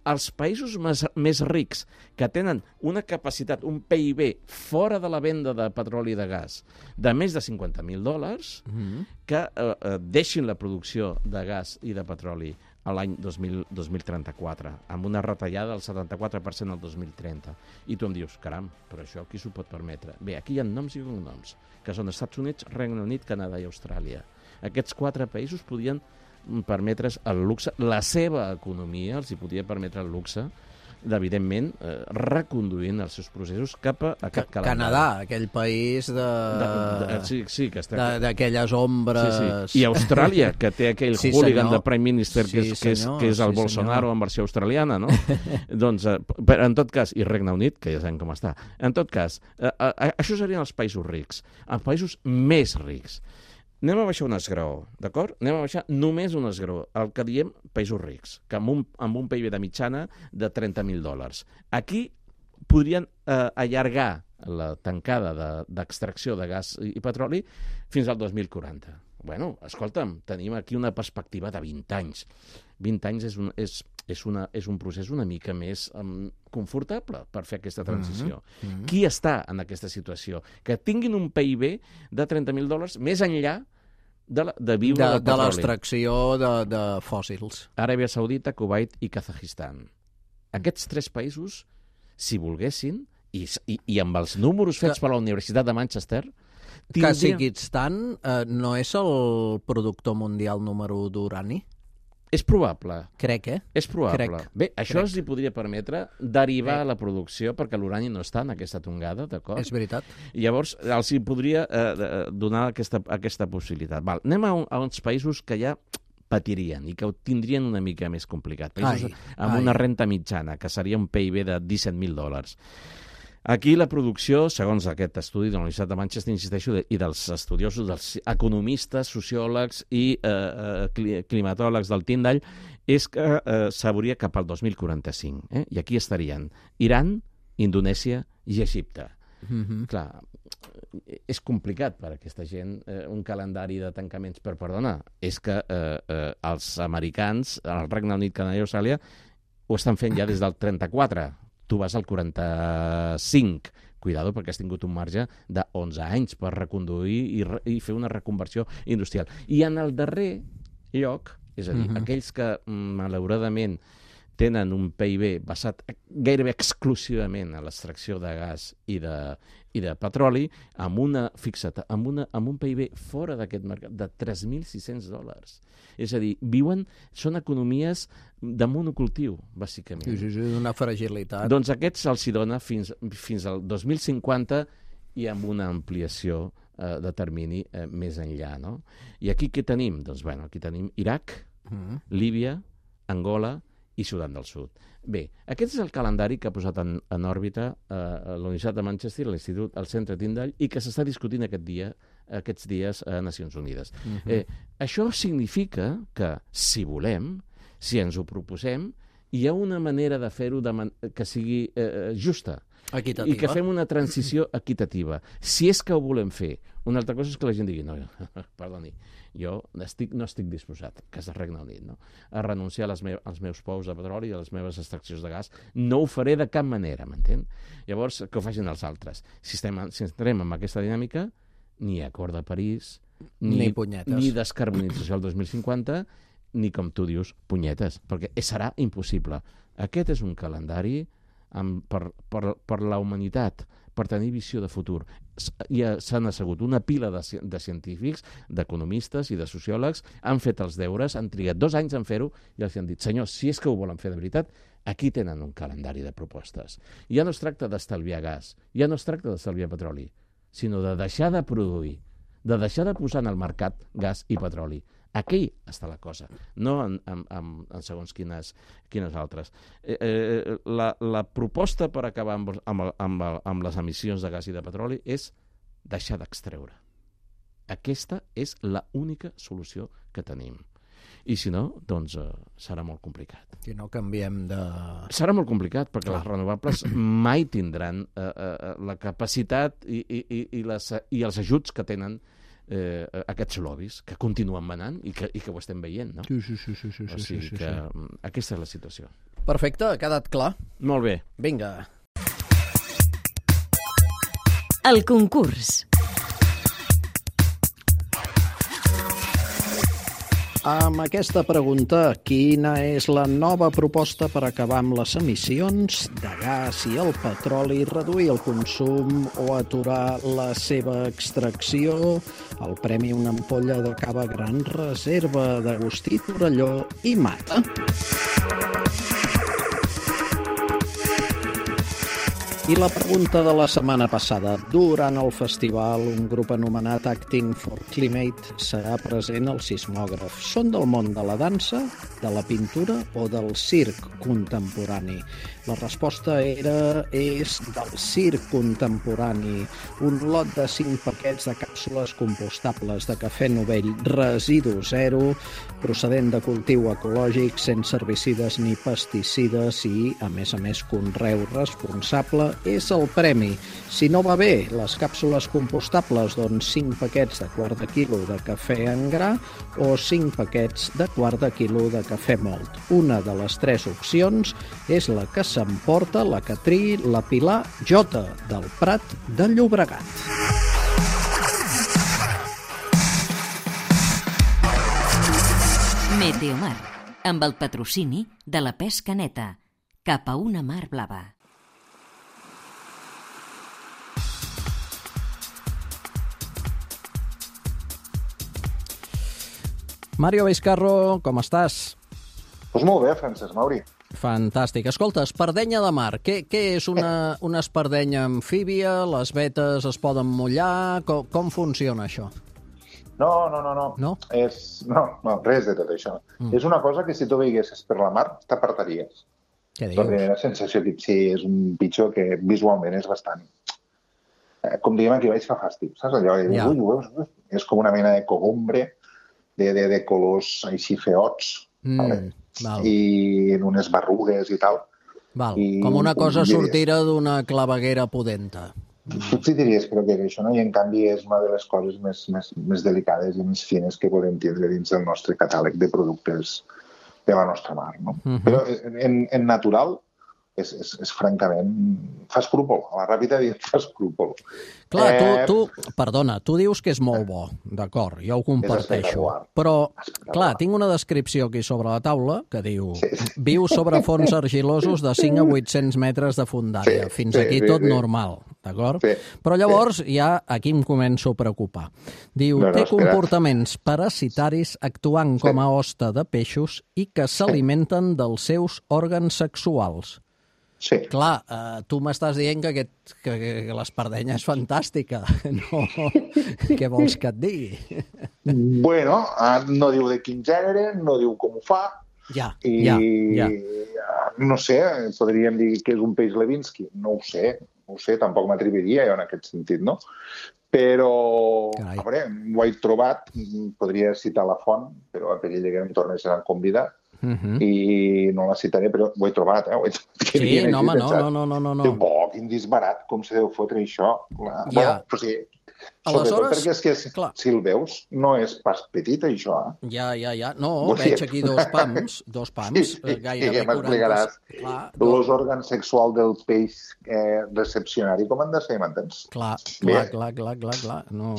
els països més, més rics que tenen una capacitat, un P I B fora de la venda de petroli i de gas de més de cinquanta mil dòlars, mm-hmm. que eh, eh, deixin la producció de gas i de petroli a l'any dos mil trenta-quatre, amb una retallada del setanta-quatre per cent al dos mil trenta. I tu em dius, caram, però això qui s'ho pot permetre? Bé, aquí hi ha noms i cognoms, que són Estats Units, Regne Unit, Canadà i Austràlia. Aquests quatre països podien permetre's el luxe, la seva economia els hi podia permetre el luxe d'evidentment eh, reconduint els seus processos cap a aquest calendari. Canadà, aquell país de... de, de sí, sí, que està... d'aquelles ombres... Sí, sí. I Austràlia, que té aquell sí, hooligan senyor. de Prime Minister que és, sí, que és, que és el sí, Bolsonaro senyor. en versió australiana, no? Doncs, eh, però en tot cas, i Regne Unit, que ja sabem com està, en tot cas, eh, eh, això serien els països rics, els països més rics. Anem a baixar un esgraó, d'acord? Anem a baixar només un esgraó, el que diem països rics, que amb un, amb un P I B de mitjana de trenta mil dòlars. Aquí podrien eh, allargar la tancada d'extracció de, de gas i, i petroli fins al dos mil quaranta. Bueno, escolta'm, tenim aquí una perspectiva de vint anys. vint anys és un, és, és una, és un procés una mica més um, confortable per fer aquesta transició. Mm-hmm. Qui està en aquesta situació? Que tinguin un P I B de trenta mil dòlars més enllà de, la, de viure de, del petroli. De l'extracció de, de fòssils. Aràbia Saudita, Kuwait i Kazajistan. Aquests tres països, si volguessin, i, i, i amb els números fets que, per la Universitat de Manchester... Tindria... Kazajistan eh, no és el productor mundial número u d'urani? És probable. Crec, eh? És probable. Crec. Bé, això Crec. els hi podria permetre derivar Crec. la producció, perquè l'urani no està en aquesta tongada, d'acord? És veritat. I llavors els hi podria eh, donar aquesta, aquesta possibilitat. Val. Anem a, un, a uns països que ja patirien i que ho tindrien una mica més complicat. Països ai, amb ai. una renta mitjana, que seria un P I B de disset mil dòlars. Aquí la producció, segons aquest estudi de la Universitat de Manchester, insisteixo, i dels estudiosos, dels economistes, sociòlegs i eh, climatòlegs del Tyndall, és que eh, s'hauria cap al dos mil quaranta-cinc. Eh? I aquí estarien Iran, Indonèsia i Egipte. Mm-hmm. Clar, és complicat per a aquesta gent eh, un calendari de tancaments, per perdona. És que eh, eh, els americans, el Regne Unit, Canadà i Austràlia, ho estan fent ja des del trenta-quatre. Tu vas al quaranta-cinc. Cuidado, perquè has tingut un marge de onze anys per reconduir i, re, i fer una reconversió industrial. I en el darrer lloc, és a dir, uh-huh. aquells que malauradament tenen un P I B basat gairebé exclusivament a l'extracció de gas i de, i de petroli, amb, una, fixa't, amb, una, amb un P I B fora d'aquest mercat de tres mil sis-cents dòlars. És a dir, viuen, són economies de monocultiu, bàsicament. Sí, sí, sí, d'una fragilitat. Doncs aquests se'ls hi dona fins, fins al dos mil cinquanta i amb una ampliació eh, de termini eh, més enllà, no? I aquí què tenim? Doncs, bueno, aquí tenim Iraq, mm. Líbia, Angola i Sudan del Sud. Bé, aquest és el calendari que ha posat en, en òrbita eh, la Universitat de Manchester, l'Institut, el Centre Tyndall, i que s'està discutint aquest dia, aquests dies a Nacions Unides. Uh-huh. eh, això significa que, si volem, si ens ho proposem, hi ha una manera de fer-ho de man- que sigui eh, justa. Equitativa. I que fem una transició equitativa. Si és que ho volem fer. Una altra cosa és que la gent digui, no, perdoni, jo estic, no estic disposat, que és el Regne Unit, no? a renunciar a les me als meus pous de petroli i a les meves extraccions de gas. No ho faré de cap manera, m'entén? Llavors, que ho facin els altres. Si, estem, si entrem en aquesta dinàmica, ni acord de París, ni, ni punyetes, ni descarbonització al dos mil cinquanta, ni, com tu dius, punyetes, perquè serà impossible. Aquest és un calendari amb, per, per, per la humanitat, per tenir visió de futur. Ja s'han assegut una pila de, de científics, d'economistes i de sociòlegs, han fet els deures, han trigat dos anys en fer-ho i els han dit, senyors, si és que ho volen fer de veritat, aquí tenen un calendari de propostes. Ja no es tracta d'estalviar gas, ja no es tracta d'estalviar petroli, sinó de deixar de produir, de deixar de posar en el mercat gas i petroli. Aquí està la cosa, no en, en, en, en segons quines, quines altres. Eh, eh, la, la proposta per acabar amb, amb, amb, amb les emissions de gas i de petroli és deixar d'extreure. Aquesta és l'única solució que tenim. I si no, doncs eh, serà molt complicat. Si no canviem de... Serà molt complicat, perquè les renovables mai tindran eh, eh, la capacitat i, i, i, i, les, i els ajuts que tenen Eh, aquests lobbies que continuen manant i que, i que ho estem veient, no? Sí, sí, sí, sí, sí, o sigui sí, sí, que sí. Aquesta és la situació. Perfecte, ha quedat clar. Molt bé. Vinga. El concurs. Amb aquesta pregunta, quina és la nova proposta per acabar amb les emissions de gas i el petroli, reduir el consum o aturar la seva extracció? El premi una ampolla de cava Gran Reserva d'Agustí Torelló i Mata. I la pregunta de la setmana passada. Durant el festival, un grup anomenat Acting for Climate serà present al sismògraf. Són del món de la dansa, de la pintura o del circ contemporani? La resposta era és del circ contemporani. Un lot de cinc paquets de càpsules compostables de cafè novell residu zero, procedent de cultiu ecològic, sense herbicides ni pesticides i, a més a més, conreu responsable, és el premi. Si no va bé les càpsules compostables, doncs cinc paquets de quart de quilo de cafè en gra o cinc paquets de quart de quilo de cafè mòlt. Una de les tres opcions és la que s'emporta la que triï la Pilar Jota, del Prat de Llobregat. Meteomar, amb el patrocini de la pesca neta, cap a una mar blava. Mario Vizcarro, com estàs? Doncs molt bé, Francesc Mauri. Fantàstic. Escolta, espardenya de mar. Què, què és una, una espardenya amfíbia? Les vetes es poden mullar? Com, com funciona això? No, no, no, no. No? És, no, no, res de tot això. Mm. És una cosa que si tu veiguessis per la mar t'apartaries. Què dius? La primera sensació que sí, és un pitjor que visualment és bastant... Eh, com diguem aquí baix fa fàstic, saps? Allò, Ja. ui, ui, ui, és com una mena de cogombre de, de, de colors així feots, Mm, vale? val. I en unes berrugues i tal. Val. I, Com una cosa diries, sortira d'una claveguera pudenta. Potser diries que és això, no? I en canvi és una de les coses més, més, més delicades i més fines que podem tindre dins del nostre catàleg de productes de la nostra mar, no? Mhm. Però en, en natural, és, és, és francament... fa escrúpol, a la ràpida dit fa escrúpol. Clar, eh... tu, tu, perdona, tu dius que és molt bo, d'acord, jo ho comparteixo, però, clar, tinc una descripció aquí sobre la taula que diu, sí. viu sobre fons argilosos de cinc a vuit-cents metres de fondària, sí, fins sí, aquí sí, tot sí. normal, d'acord? Sí, però llavors sí. ja aquí em començo a preocupar. Diu, no, no, té comportaments parasitaris actuant sí. com a hoste de peixos i que s'alimenten dels seus òrgans sexuals. Sí. Clar, eh, tu m'estàs dient que, aquest, que, que l'espardenya és fantàstica. No, què vols que et digui? Bueno, no diu de quin gènere, no diu com ho fa. Ja, i, ja, ja. No sé, podríem dir que és un peix Levinsky. No ho sé, no ho sé, tampoc m'atreviria jo en aquest sentit, no? Però, Carai. a veure, ho he trobat, podria citar la font, però a perill que em tornessin a convidar. Uh-huh. I no la citaré, però ho he trobat, eh? Ho he trobat. Sí, no, home, no, no, no, no, no. Diu, oh, quin disbarat, com se deu fotre això. La... Ja. Bueno, però sí, aleshores, perquè és que si, si el veus, no és pas petit, això. Eh? Ja, ja, ja. No, Vull veig dir... aquí dos pams, dos pams, sí, sí, gairebé sí, quaranta. Clar, els òrgans sexuals del peix eh, recepcionari, com han de ser, m'entens? Clar, clar, clar, clar, clar, clar. No.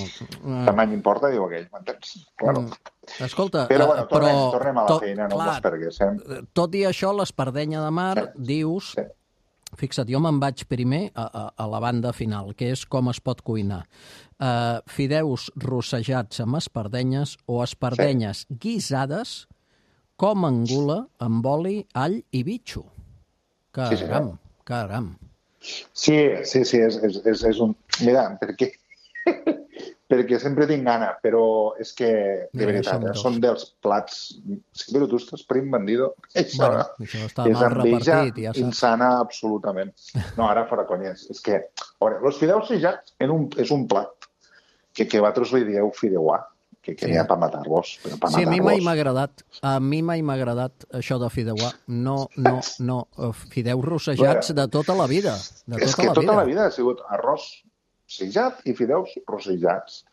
Tamany importa, diu aquell, m'entens? Claro. Mm. Escolta, però, bueno, tornem, però, tornem a la tot, feina, no clar, m'espergues. Eh? Tot i això, l'espardenya de mar, sí. dius... Sí. Fixa't, jo me'n vaig primer a, a, a la banda final, que és com es pot cuinar. Uh, fideus rossejats amb espardenyes o espardenyes sí. guisades com angula amb oli, all i bitxo. Caram, sí, sí, caram. Sí, sí, sí, és, és, és, és un... Mira, perquè... perquè sempre tinc gana, però és que, de Mira, veritat, eh, són dels plats... Sí, però tu estàs prim vendido. Això, bueno, això està és mal repartit, ja saps. Insana, absolutament. No, ara fora conyes. És que, a veure, els fideus sejats en un, és un plat que, que vosaltres li dieu fideuà, que, que sí. n'hi ha per matar-vos. Per matar sí, a mi mai m'ha agradat. A mi mai m'ha agradat això de fideuà. No, no, no. Fideus rossejats bueno, de tota la vida. De tota és que la tota vida. la vida ha sigut arròs rossejat i fideus rossejats.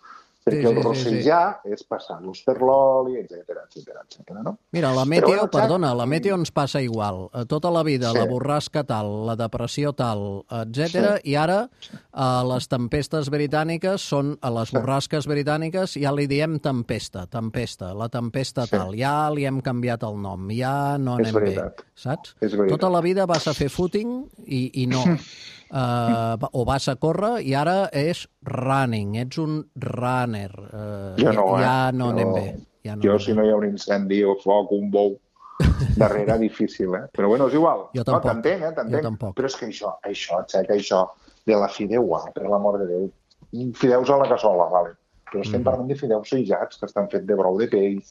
Perquè sí, sí, el rossejar sí, sí. és passar-los per l'oli, etcètera, etcètera, etcètera, no? Mira, la meteo, bueno, perdona, la meteo ens passa igual. Tota la vida, sí. la borrasca tal, la depressió tal, etcètera, sí. i ara a les tempestes britàniques són, a les borrasques britàniques ja li diem tempesta, tempesta, la tempesta sí. tal, ja li hem canviat el nom, ja no anem bé, saps? Tota la vida vas a fer footing i, i no... Uh, o vas a córrer i ara és running, ets un runner. Uh, jo no, eh? Ja no jo, anem bé. Ja no jo, anem si no hi ha un incendi o foc, un bou darrere, difícil, eh? Però bueno, és igual. Jo tampoc. No, t'entenc, eh? T'entenc. Però és que això, això, xeca, això, de la fideuà, per l'amor de Déu, fideus a la cassola, vale. Però estem mm. parlant de fideus sejats, que estan fets de brou de peix,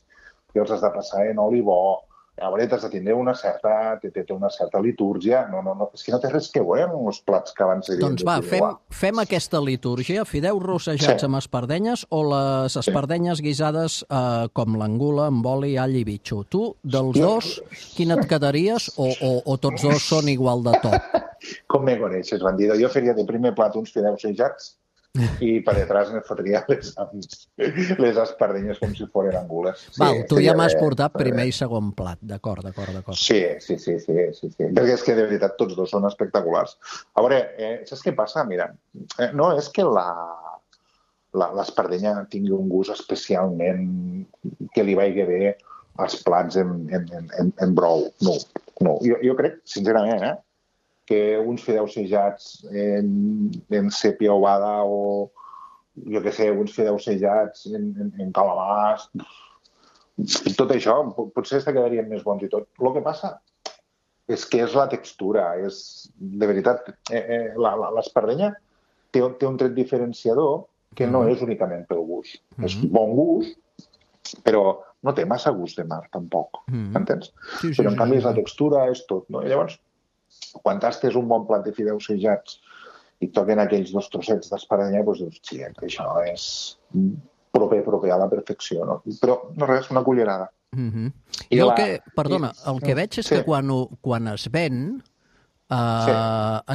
que els has de passar en oli bo, a veure, t'has de tindre una certa, té, té una certa litúrgia. No, no, no, és que no té res que veure amb els plats que abans serien. Doncs va, fem, fem aquesta litúrgia, fideus rossejats sí. amb espardenyes o les espardenyes sí. guisades eh, com l'angula amb oli, all i bitxo. Tu, dels sí. dos, quin et quedaries o, o, o tots dos són igual de top? Com me coneixes, bandido? Jo faria de primer plat uns fideus sejats i per detrás me fotria les, les espardenyes com si foren angules. Sí, Val, tu ja m'has portat primer i segon plat, d'acord, d'acord, d'acord. Sí, sí, sí, sí, sí, sí, perquè és que de veritat tots dos són espectaculars. A veure, eh, saps què passa? Mira, eh, no és que la l'espardenya tingui un gust especialment que li vagi bé als plats en, en, en, en brou. No, no. Jo, jo crec, sincerament, eh, que uns fideus sejats en, en sèpia ovada o, jo què sé, uns fideus sejats en, en, en calabàs, tot això, potser se quedarien més bons i tot. El que passa és que és la textura, és, de veritat, eh, eh, l'espardenya té, té un tret diferenciador que no és únicament pel gust. Mm-hmm. És bon gust, però no té massa gust de mar, tampoc, mm-hmm. entens? Sí, sí, però, en sí, canvi, sí. la textura és tot, no? I llavors, quan tastes un bon plat de fideus sejats i toquen aquells dos trossets d'espardenya, doncs dius, sí, això és proper, proper a la perfecció, no? Però no res, una cullerada. Mm-hmm. I el la... que, perdona, el que veig és sí. que quan, quan es ven, uh, sí.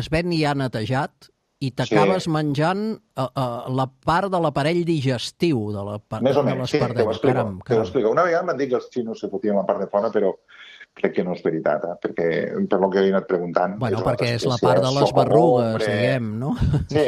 es ven ja netejat i t'acabes sí. menjant uh, uh, la part de l'aparell digestiu de la part de l'espardenya. Sí, te ho explico. Caram, caram. Te ho explico. Una vegada m'han dit que els xinos se fotien la part de fora, però crec que no és veritat, eh? Perquè per lo que he anat preguntant... Bueno, perquè és la part de les berrugues, diguem, no? Sí,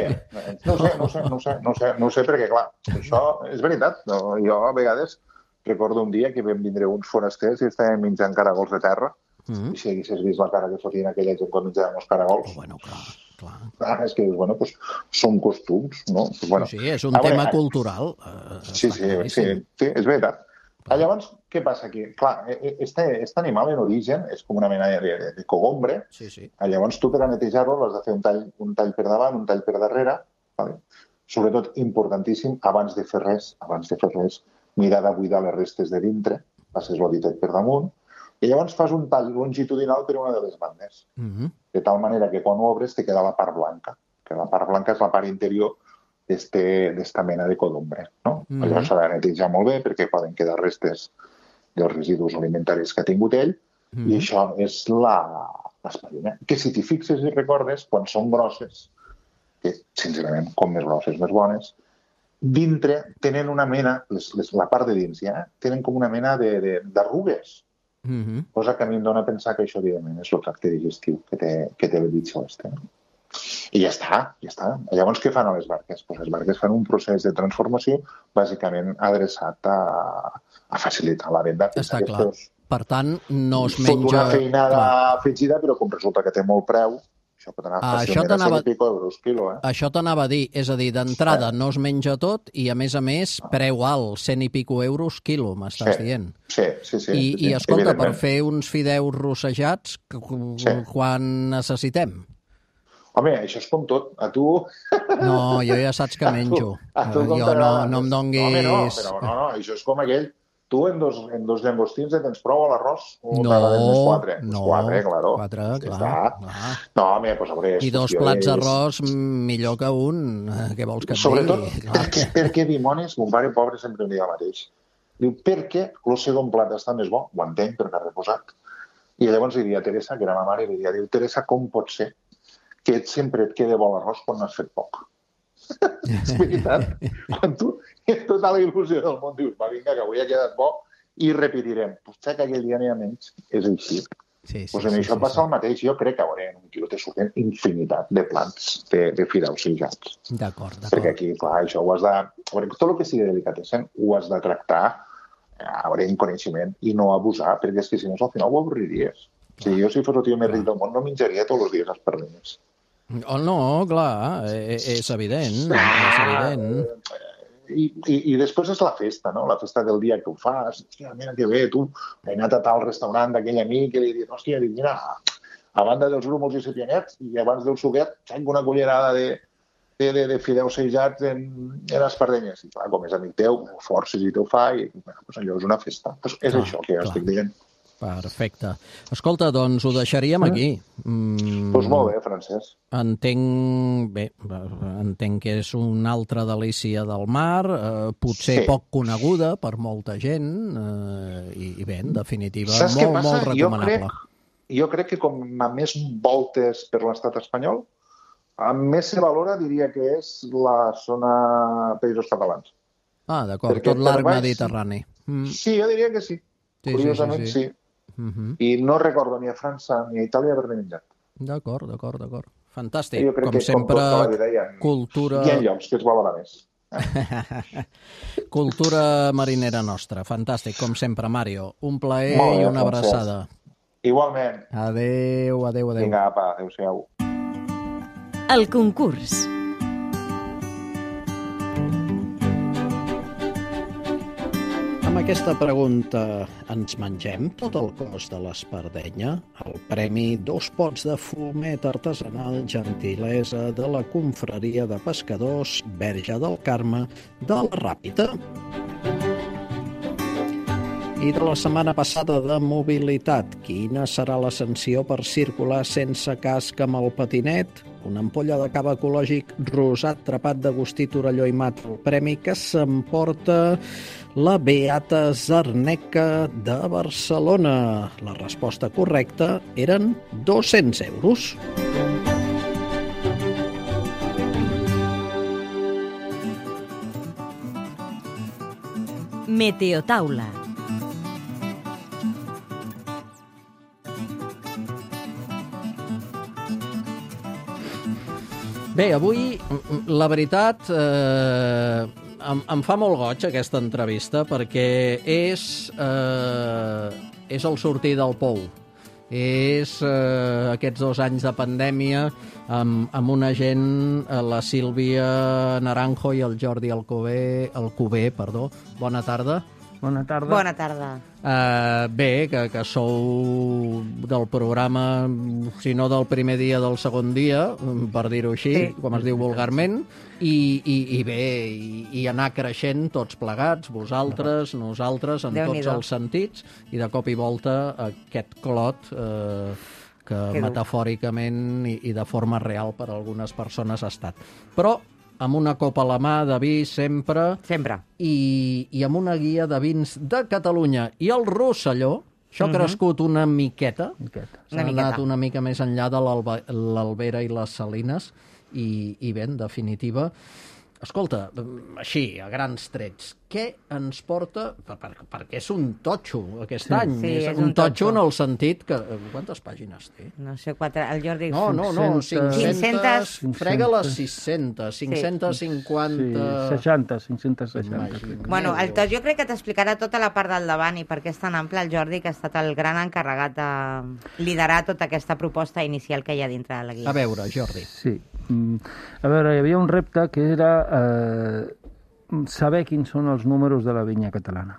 no sé, no sé, no sé, no sé, no sé perquè, clar, això és veritat. No, jo, a vegades, recordo un dia que vam vindre uns forasters i estàvem menjant caragols de terra, mm-hmm. i si haguessis vist la cara que fotien aquella gent quan menjaven els caragols... Oh, bueno, clar, clar. Ah, és que, bueno, pues, són costums, no? Pues, bueno, sí, és un a tema veure, cultural. Uh, sí, sí, sí, sí, és veritat. Ah, llavors, què passa aquí? Clar, este, este animal en origen és com una mena de, de, de cogombre. Sí, sí. Ah, llavors, tu per a netejar-lo l'has de fer un tall, un tall per davant, un tall per darrere. Vale? Sobretot, importantíssim, abans de fer res, abans de fer res, mirar de buidar les restes de dintre, passes l'oditet per damunt, i llavors fas un tall longitudinal per una de les bandes. Mm-hmm. De tal manera que quan ho obres te queda la part blanca, que la part blanca és la part interior d'esta mena de codumbre. No? Mm-hmm. Llavors s'ha de netejar molt bé perquè poden quedar restes dels residus alimentaris que ha tingut ell, mm-hmm. i això és l'espadanya. Que si t'hi fixes i recordes, quan són grosses, que sincerament, com més grosses, més bones, dintre tenen una mena, les, les, la part de dins ja, tenen com una mena d'arrugues. Mm-hmm. Cosa que a mi em dona a pensar que això, evidentment, és el tracte digestiu que té, que té el bitxo este. No? I ja està, ja està. Llavors, què fan a les barques? Pues les barques fan un procés de transformació bàsicament adreçat a, a facilitar la venda. Està clar. Per tant, no es menja... Fot una feinada afegida, però com resulta que té molt preu, això pot anar fàcilment a cent i pico euros quilo. Eh? Això t'anava a dir, és a dir, d'entrada no es menja tot i, a més a més, preu alt, cent i pico euros quilo, m'estàs sí, dient. Sí, sí, sí. I, sí, i escolta, per fer uns fideus rossejats, sí. quan necessitem? Home, això és com tot. A tu... No, jo ja saps que menjo. A tu, a tu jo no, no em donguis... No, home, no, però no, no, això és com aquell... Tu en dos, en dos llangostins et tens prou a l'arròs? O no, quatre? no. Quatre, claro. Quatre, sí, clar. clar. No, home, pues, a veure... I dos plats d'arròs millor que un. Què vols que et Sobretot, digui? Sobretot, perquè, perquè, dimonis, mon pare pobre sempre em deia el mateix. Diu, perquè el segon plat està més bo, ho entenc, perquè ha reposat. I llavors li diria a Teresa, que era ma mare, i li diria, diu, Teresa, com pot ser que sempre et quede bo l'arròs quan n'has fet poc? És veritat. Quan tu, en tota la il·lusió del món, dius, va, vinga, que avui ha quedat bo i repetirem. Potser que aquell dia n'hi ha menys, és així. Sí, sí, pues en sí, això sí, passa sí. el mateix. Jo crec que a veure, en un quilo te surten infinitat de plats de, de fideus sillats. D'acord, d'acord. Perquè aquí, clar, això ho has de... A veure, tot el que sigui delicatessen ho has de tractar a veure, en coneixement i no abusar, perquè és que si no, al final ho avorriries. Si jo, si fos el tio més ric del món, no menjaria tots els dies espardenyes. Oh, no, clar, és evident, és evident. I, i, I després és la festa, no? La festa del dia que ho fas. Hòstia, mira que bé, tu he anat a tal restaurant d'aquell amic i li he dit, hòstia, dic, mira, a banda dels grúmols i sepianets i abans del suquet, tenc una cullerada de, de, de, de fideus sejats en, en espardenyes. I clar, com és amic teu, forces i teu fa, i bueno, pues allò és una festa. Pues és clar, això que jo estic dient. Perfecte. Escolta, doncs ho deixaríem aquí. Mm, doncs molt bé, Francesc. Entenc, bé, entenc que és una altra delícia del mar, eh, potser sí. poc coneguda per molta gent, eh, i, i bé, en definitiva, Saps molt, molt recomanable. Jo crec, jo crec que com a més voltes per l'estat espanyol, a més se valora, diria que és la zona Països Catalans. Ah, d'acord, tot l'arc mediterrani. Mm. Sí, jo diria que sí. sí Curiosament, sí. sí. sí. Uh-huh. I no recordo ni a França ni a Itàlia haver-ne menjat. D'acord, d'acord, d'acord. Fantàstic. Jo crec com que sempre, com tota vida, hi ha, cultura... Hi ha llocs que es valora més. Cultura marinera nostra. Fantàstic, com sempre, Mario. Un plaer bé, i una Francesc. abraçada. Igualment. Adéu, adéu, adéu. Vinga, apa, adéu-siau. El concurs. Amb aquesta pregunta ens mengem tot el cos de l'espardenya? El premi dos pots de fumet artesanal gentilesa de la confraria de pescadors Verge del Carme de la Ràpita. I de la setmana passada de mobilitat, quina serà la sanció per circular sense casc amb el patinet? Una ampolla de cava ecològic rosat trapat d'Agustí Torelló i Mat, el premi que s'emporta la Beata Zarneca de Barcelona. La resposta correcta eren dos-cents euros. Meteotaula. Bé, avui, la veritat, eh, em, em fa molt goig aquesta entrevista perquè és, eh, és el sortir del pou. És eh, aquests dos anys de pandèmia amb, amb una gent, la Sílvia Naranjo i el Jordi Alcover, Alcover, perdó. Bona tarda. Bona tarda. Bona tarda. Uh, bé, que, que sou del programa, si no del primer dia, del segon dia, per dir-ho així, sí. com es diu vulgarment, i, i, i bé, i, i anar creixent tots plegats, vosaltres, nosaltres, en tots els sentits, i de cop i volta aquest clot eh, que que metafòricament i, i de forma real per a algunes persones ha estat. Però amb una copa a la mà de vi sempre. Sempre. I, i amb una guia de vins de Catalunya. I el Rosselló, això ha crescut una miqueta. S'ha anat una mica més enllà de l'Albera i les Salines. I, i bé, en definitiva, escolta, així, a grans trets, què ens porta... Per, per, perquè és un totxo aquest sí. any. Sí, és, és un, un totxo totxo en el sentit que... Quantes pàgines té? No sé, quatre... El Jordi... No, no, no, cinc-centes... Frega les sis-centes, cinc-centes cinquanta... Sí, seixanta, cinc-centes seixanta. Bueno, el tot, jo crec que t'explicarà tota la part del davant i per què és tan ample el Jordi, que ha estat el gran encarregat de liderar tota aquesta proposta inicial que hi ha dintre de la guia. A veure, Jordi. Sí. A veure, hi havia un repte que era eh, saber quins són els números de la vinya catalana.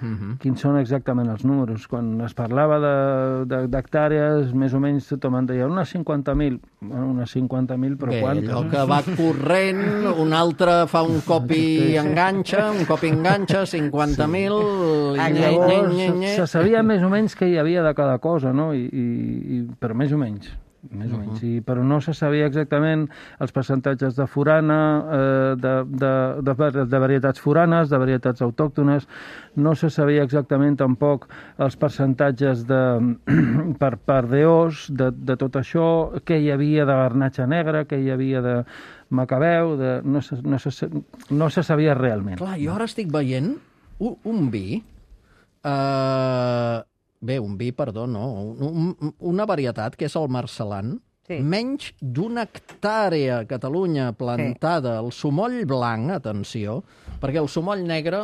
Uh-huh. Quins són exactament els números. Quan es parlava d'hectàrees, més o menys tothom en deia unes cinquanta mil, unes cinquanta mil, però Bé, quantes? allò que va corrent, un altre fa un cop i enganxa, un cop i enganxa, cinquanta mil... Llavors se sabia més o menys què hi havia de cada cosa, no? I, i, i, però més o menys. més o menys, I, però no se sabia exactament els percentatges de forana, eh, de, de, de, de varietats foranes, de varietats autòctones, no se sabia exactament tampoc els percentatges de, per, per D Os, de, de tot això, què hi havia de garnatxa negra, què hi havia de macabeu, de, no, se, no, se, no se sabia realment. Clar, jo ara estic veient un, un vi... Eh... Bé, un vi, perdó, no. Un, una varietat, que és el Marcelan, sí. menys d'una hectàrea a Catalunya plantada. Sí. El sumoll blanc, atenció, perquè el sumoll negre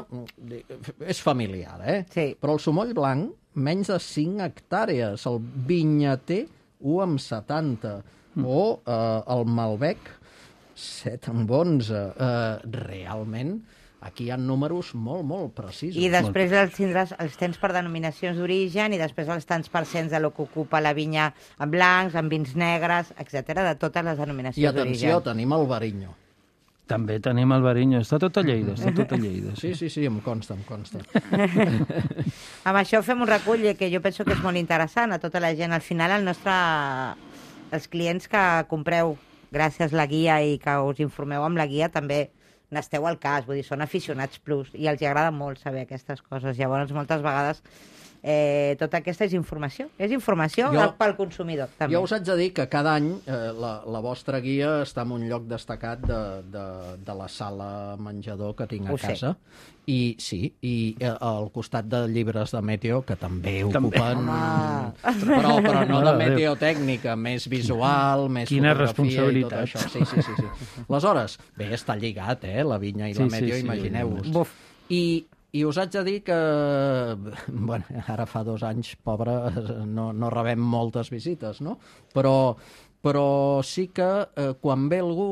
és familiar, eh? Sí. Però el sumoll blanc, menys de cinc hectàrees. El vinyater, u amb setanta. Mm. O eh, el Malbec, set amb onze. Eh, realment... Aquí hi ha números molt, molt precisos. I després els, tindràs, els tens per denominacions d'origen i després els tants percents de lo que ocupa la vinya en blancs, en vins negres, etcètera, de totes les denominacions d'origen. I atenció, tenim el Bariño. També tenim el Bariño. Està tot a Lleida, està tot a Lleida. Sí, sí, sí, em consta, em consta. Amb això fem un recull que jo penso que és molt interessant a tota la gent. Al final, el nostre... els clients que compreu gràcies a la guia i que us informeu amb la guia també n'esteu al cas, vull dir, són aficionats plus i els agrada molt saber aquestes coses. Llavors, moltes vegades, eh, tota aquesta és informació. És informació jo, pel consumidor, també. Jo us haig de dir que cada any eh, la, la vostra guia està en un lloc destacat de, de, de la sala menjador que tinc a ho casa. Sé. I sí, i eh, al costat de llibres de Meteo, que també ocupen... Però, però no de meteotècnica, més visual, més Quina fotografia i tot això. Sí, sí, sí, sí. Aleshores, bé, està lligat, eh, la vinya i sí, la Meteo, sí, sí, imagineu-vos. I... I us haig de dir que, bueno, ara fa dos anys, pobre, no, no rebem moltes visites, no? Però, però sí que eh, quan ve algú,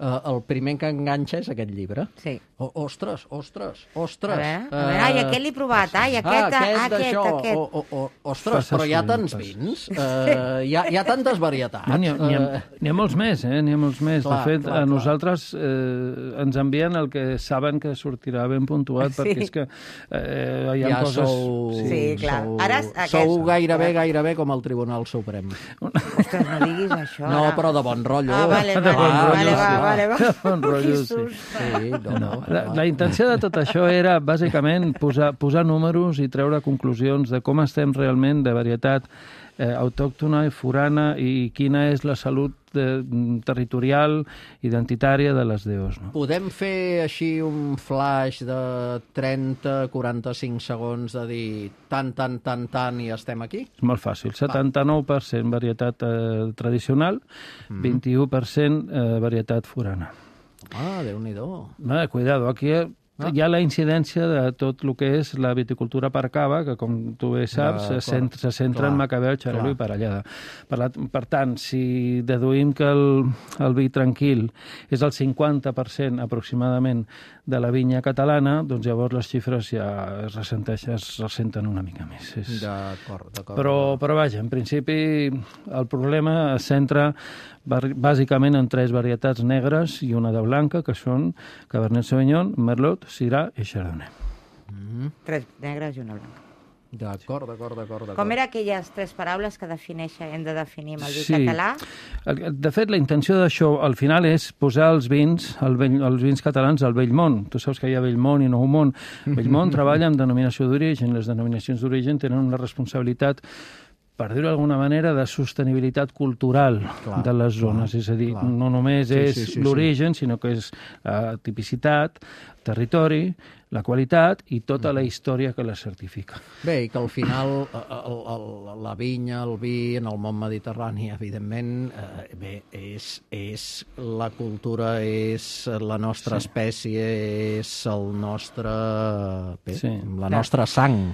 eh, el primer que enganxa és aquest llibre. Sí. O, ostres, ostres, ostres. A veure, a veure, ai, aquest l'he provat, ai, aquest, ah, aquest, aquest, aquest. O, o, o, ostres, però hi ha tants vins, uh, hi, ha, hi ha tantes varietats. No, n'hi ha, ha, ha molts més, eh? N'hi ha molts més. Clar, de fet, clar, a nosaltres eh, ens envien el que saben que sortirà ben puntuat, sí. perquè és que eh, hi ha ja coses... Sou, sí, clar. Sou, Ara, sou gairebé, gairebé com el Tribunal Suprem. Ostres, no diguis això. No, però de bon rotllo. Ah, vale, vale, bon vale, rotllo, va, sí. vale, va. De bon rotllo, sí. Sí, no, no. La, la intenció de tot això era, bàsicament, posar, posar números i treure conclusions de com estem realment de varietat eh, autòctona i forana i quina és la salut de, territorial, identitària de les D Os. No? Podem fer així un flash de trenta a quaranta-cinc segons de dir tant, tant, tant, tant i estem aquí? És molt fàcil. setanta-nou per cent varietat eh, tradicional, mm. vint-i-u per cent eh, varietat forana. Ah, Déu-n'hi-do. Eh, cuidado, aquí ah. hi ha la incidència de tot el que és la viticultura per cava, que com tu bé saps, ja, se, centra, se centra clar, en Macabeo, Xarel·lo i Parellada. Per, la, per tant, si deduïm que el, el vi tranquil és el cinquanta per cent aproximadament de la vinya catalana, doncs llavors les xifres ja es ressenteixen, es ressenten una mica més. És... D'acord, d'acord. Però, però vaja, en principi el problema es centra bàsicament en tres varietats negres i una de blanca, que són Cabernet Sauvignon, Merlot, Syrah i Chardonnay. Mm. Tres negres i una blanca. D'acord, d'acord, d'acord. Com eren aquelles tres paraules que defineixen, hem de definir amb el vi sí. català? De fet, la intenció d'això, al final, és posar els vins, el vell, els vins catalans al vell món. Tu saps que hi ha vell món i nou món. Vell món treballa amb denominació d'origen. Les denominacions d'origen tenen una responsabilitat, per dir-ho d'alguna manera, de sostenibilitat cultural clar, de les zones. Clar, és a dir, clar. no només sí, és sí, sí, l'origen, sí. sinó que és la tipicitat, territori, la qualitat i tota la història que la certifica. Bé, i que al final el, el, la vinya, el vi en el món mediterrani, evidentment, eh, bé, és, és la cultura, és la nostra sí. espècie, és el nostre, bé, sí. la nostra sang.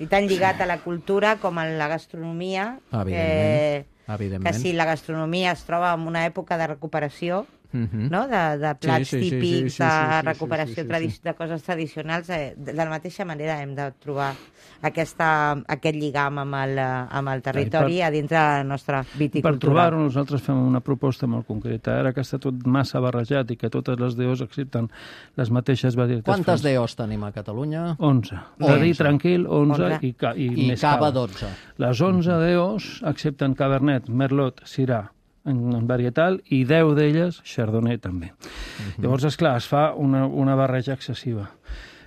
I tan lligat a la cultura com a la gastronomia. Evidentment. Eh, Evidentment. Que si la gastronomia es troba en una època de recuperació, uh-huh. no? de, de plats sí, sí, típics, sí, sí, sí, sí, de recuperació sí, sí, sí, sí. de coses tradicionals, eh, de la mateixa manera hem de trobar aquesta, aquest lligam amb el, amb el territori per, a dintre de la nostra viticultura. Per trobar-ho, nosaltres fem una proposta molt concreta. Ara que està tot massa barrejat i que totes les D Os accepten les mateixes varietats... Quantes D Os tenim a Catalunya? onze. De dir tranquil, onze, onze. i, ca, i, I més cava cava. dotze. Les onze D Os accepten Cabernet, Merlot, Syrah, en, en varietal, i deu d'elles Chardonnay també. Uh-huh. Llavors, esclar, es fa una, una barreja excessiva.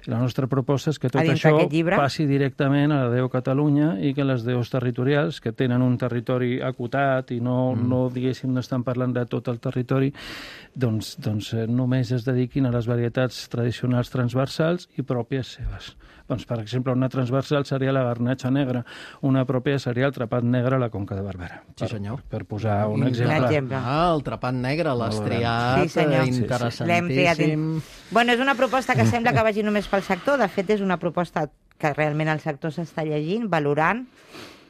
La nostra proposta és que tot això passi directament a la D O Catalunya i que les D Os territorials, que tenen un territori acotat i no, mm. no diguéssim, no estan parlant de tot el territori, doncs, doncs eh, només es dediquin a les varietats tradicionals transversals i pròpies seves. Doncs, per exemple, una transversal seria la garnatxa negra, una pròpia seria el trapat negre a la Conca de Barberà. Sí, senyor. Per, per posar un exemple. exemple. Ah, el trapat negre, l'has triat, sí, interessantíssim. Sí, sí. Bueno, és una proposta que sembla que vagi només pel sector, de fet és una proposta que realment el sector s'està llegint, valorant,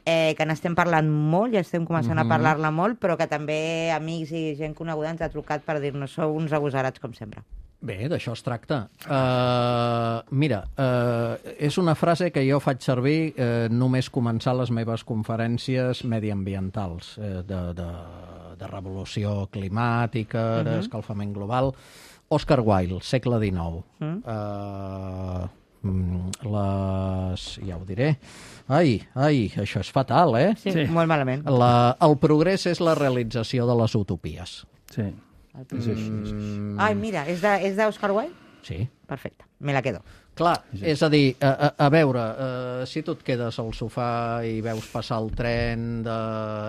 eh, que n'estem parlant molt, ja estem començant uh-huh. a parlar-la molt, però que també amics i gent coneguda ens ha trucat per dir-nos sou uns agosarats com sempre. Bé, d'això es tracta. Uh, mira, uh, és una frase que jo faig servir uh, només començar les meves conferències mediambientals, uh, de, de, de revolució climàtica, uh-huh. d'escalfament global. Oscar Wilde, segle dinou. Uh-huh. Uh, les... ja ho diré. Ai, ai, això és fatal, eh? Sí, sí. Molt malament. La, el progrés és la realització de les utopies. Sí. Mm. Ai, mira, és d'Oscar Wilde? Sí. Perfecte, me la quedo. Clar, és a dir, a, a, a veure, uh, si tu et quedes al sofà i veus passar el tren de,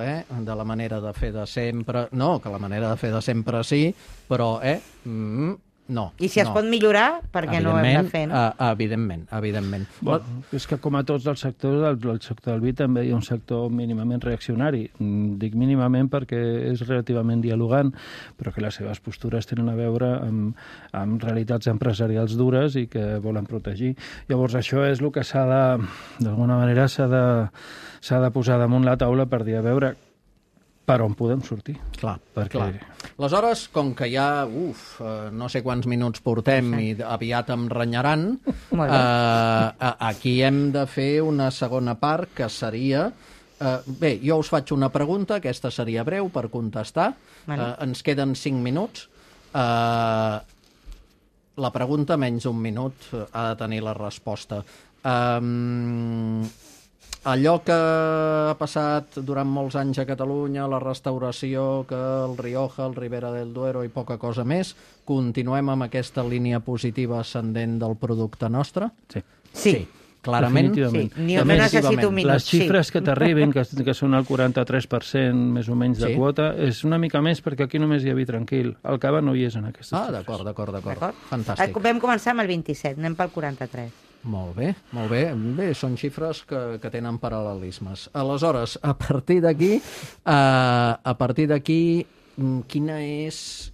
eh, de la manera de fer de sempre... No, que la manera de fer de sempre sí, però, eh, mm, no. I si es no. pot millorar, perquè no ho hem de fer, no? Uh, evidentment, evidentment. Bueno, és que com a tots els sectors, el, el sector del vi també hi ha un sector mínimament reaccionari. Dic mínimament perquè és relativament dialogant, però que les seves postures tenen a veure amb, amb realitats empresarials dures i que volen protegir. Llavors això és el que s'ha de, d'alguna manera, s'ha de, s'ha de posar damunt la taula per dir, a veure, per on podem sortir. Clar, perquè... clar. Aleshores, com que ja, uf, no sé quants minuts portem sí. i aviat em renyaran, eh, aquí hem de fer una segona part que seria... Eh, bé, jo us faig una pregunta, aquesta seria breu per contestar. Vale. Eh, ens queden cinc minuts. Eh, la pregunta, menys un minut, ha de tenir la resposta. Eh, allò que ha passat durant molts anys a Catalunya, la restauració, que el Rioja, el Ribera del Duero i poca cosa més, continuem amb aquesta línia positiva ascendent del producte nostre? Sí. Sí. sí. clarament. Definitivament. Sí, ni- no necessito un minut, Les xifres sí. que t'arriben, que, que són el quaranta-tres per cent més o menys de Sí. quota, és una mica més perquè aquí només hi ha vi tranquil. El cava no hi és en aquestes Ah, xifres. d'acord, d'acord, d'acord. D'acord? Fantàstic. Eh, Vam començar amb el vint-i-set, anem pel quaranta-tres. Molt bé, molt bé. Bé, són xifres que, que tenen paral·lelismes. Aleshores, a partir d'aquí, eh, a partir d'aquí, mm, quina és...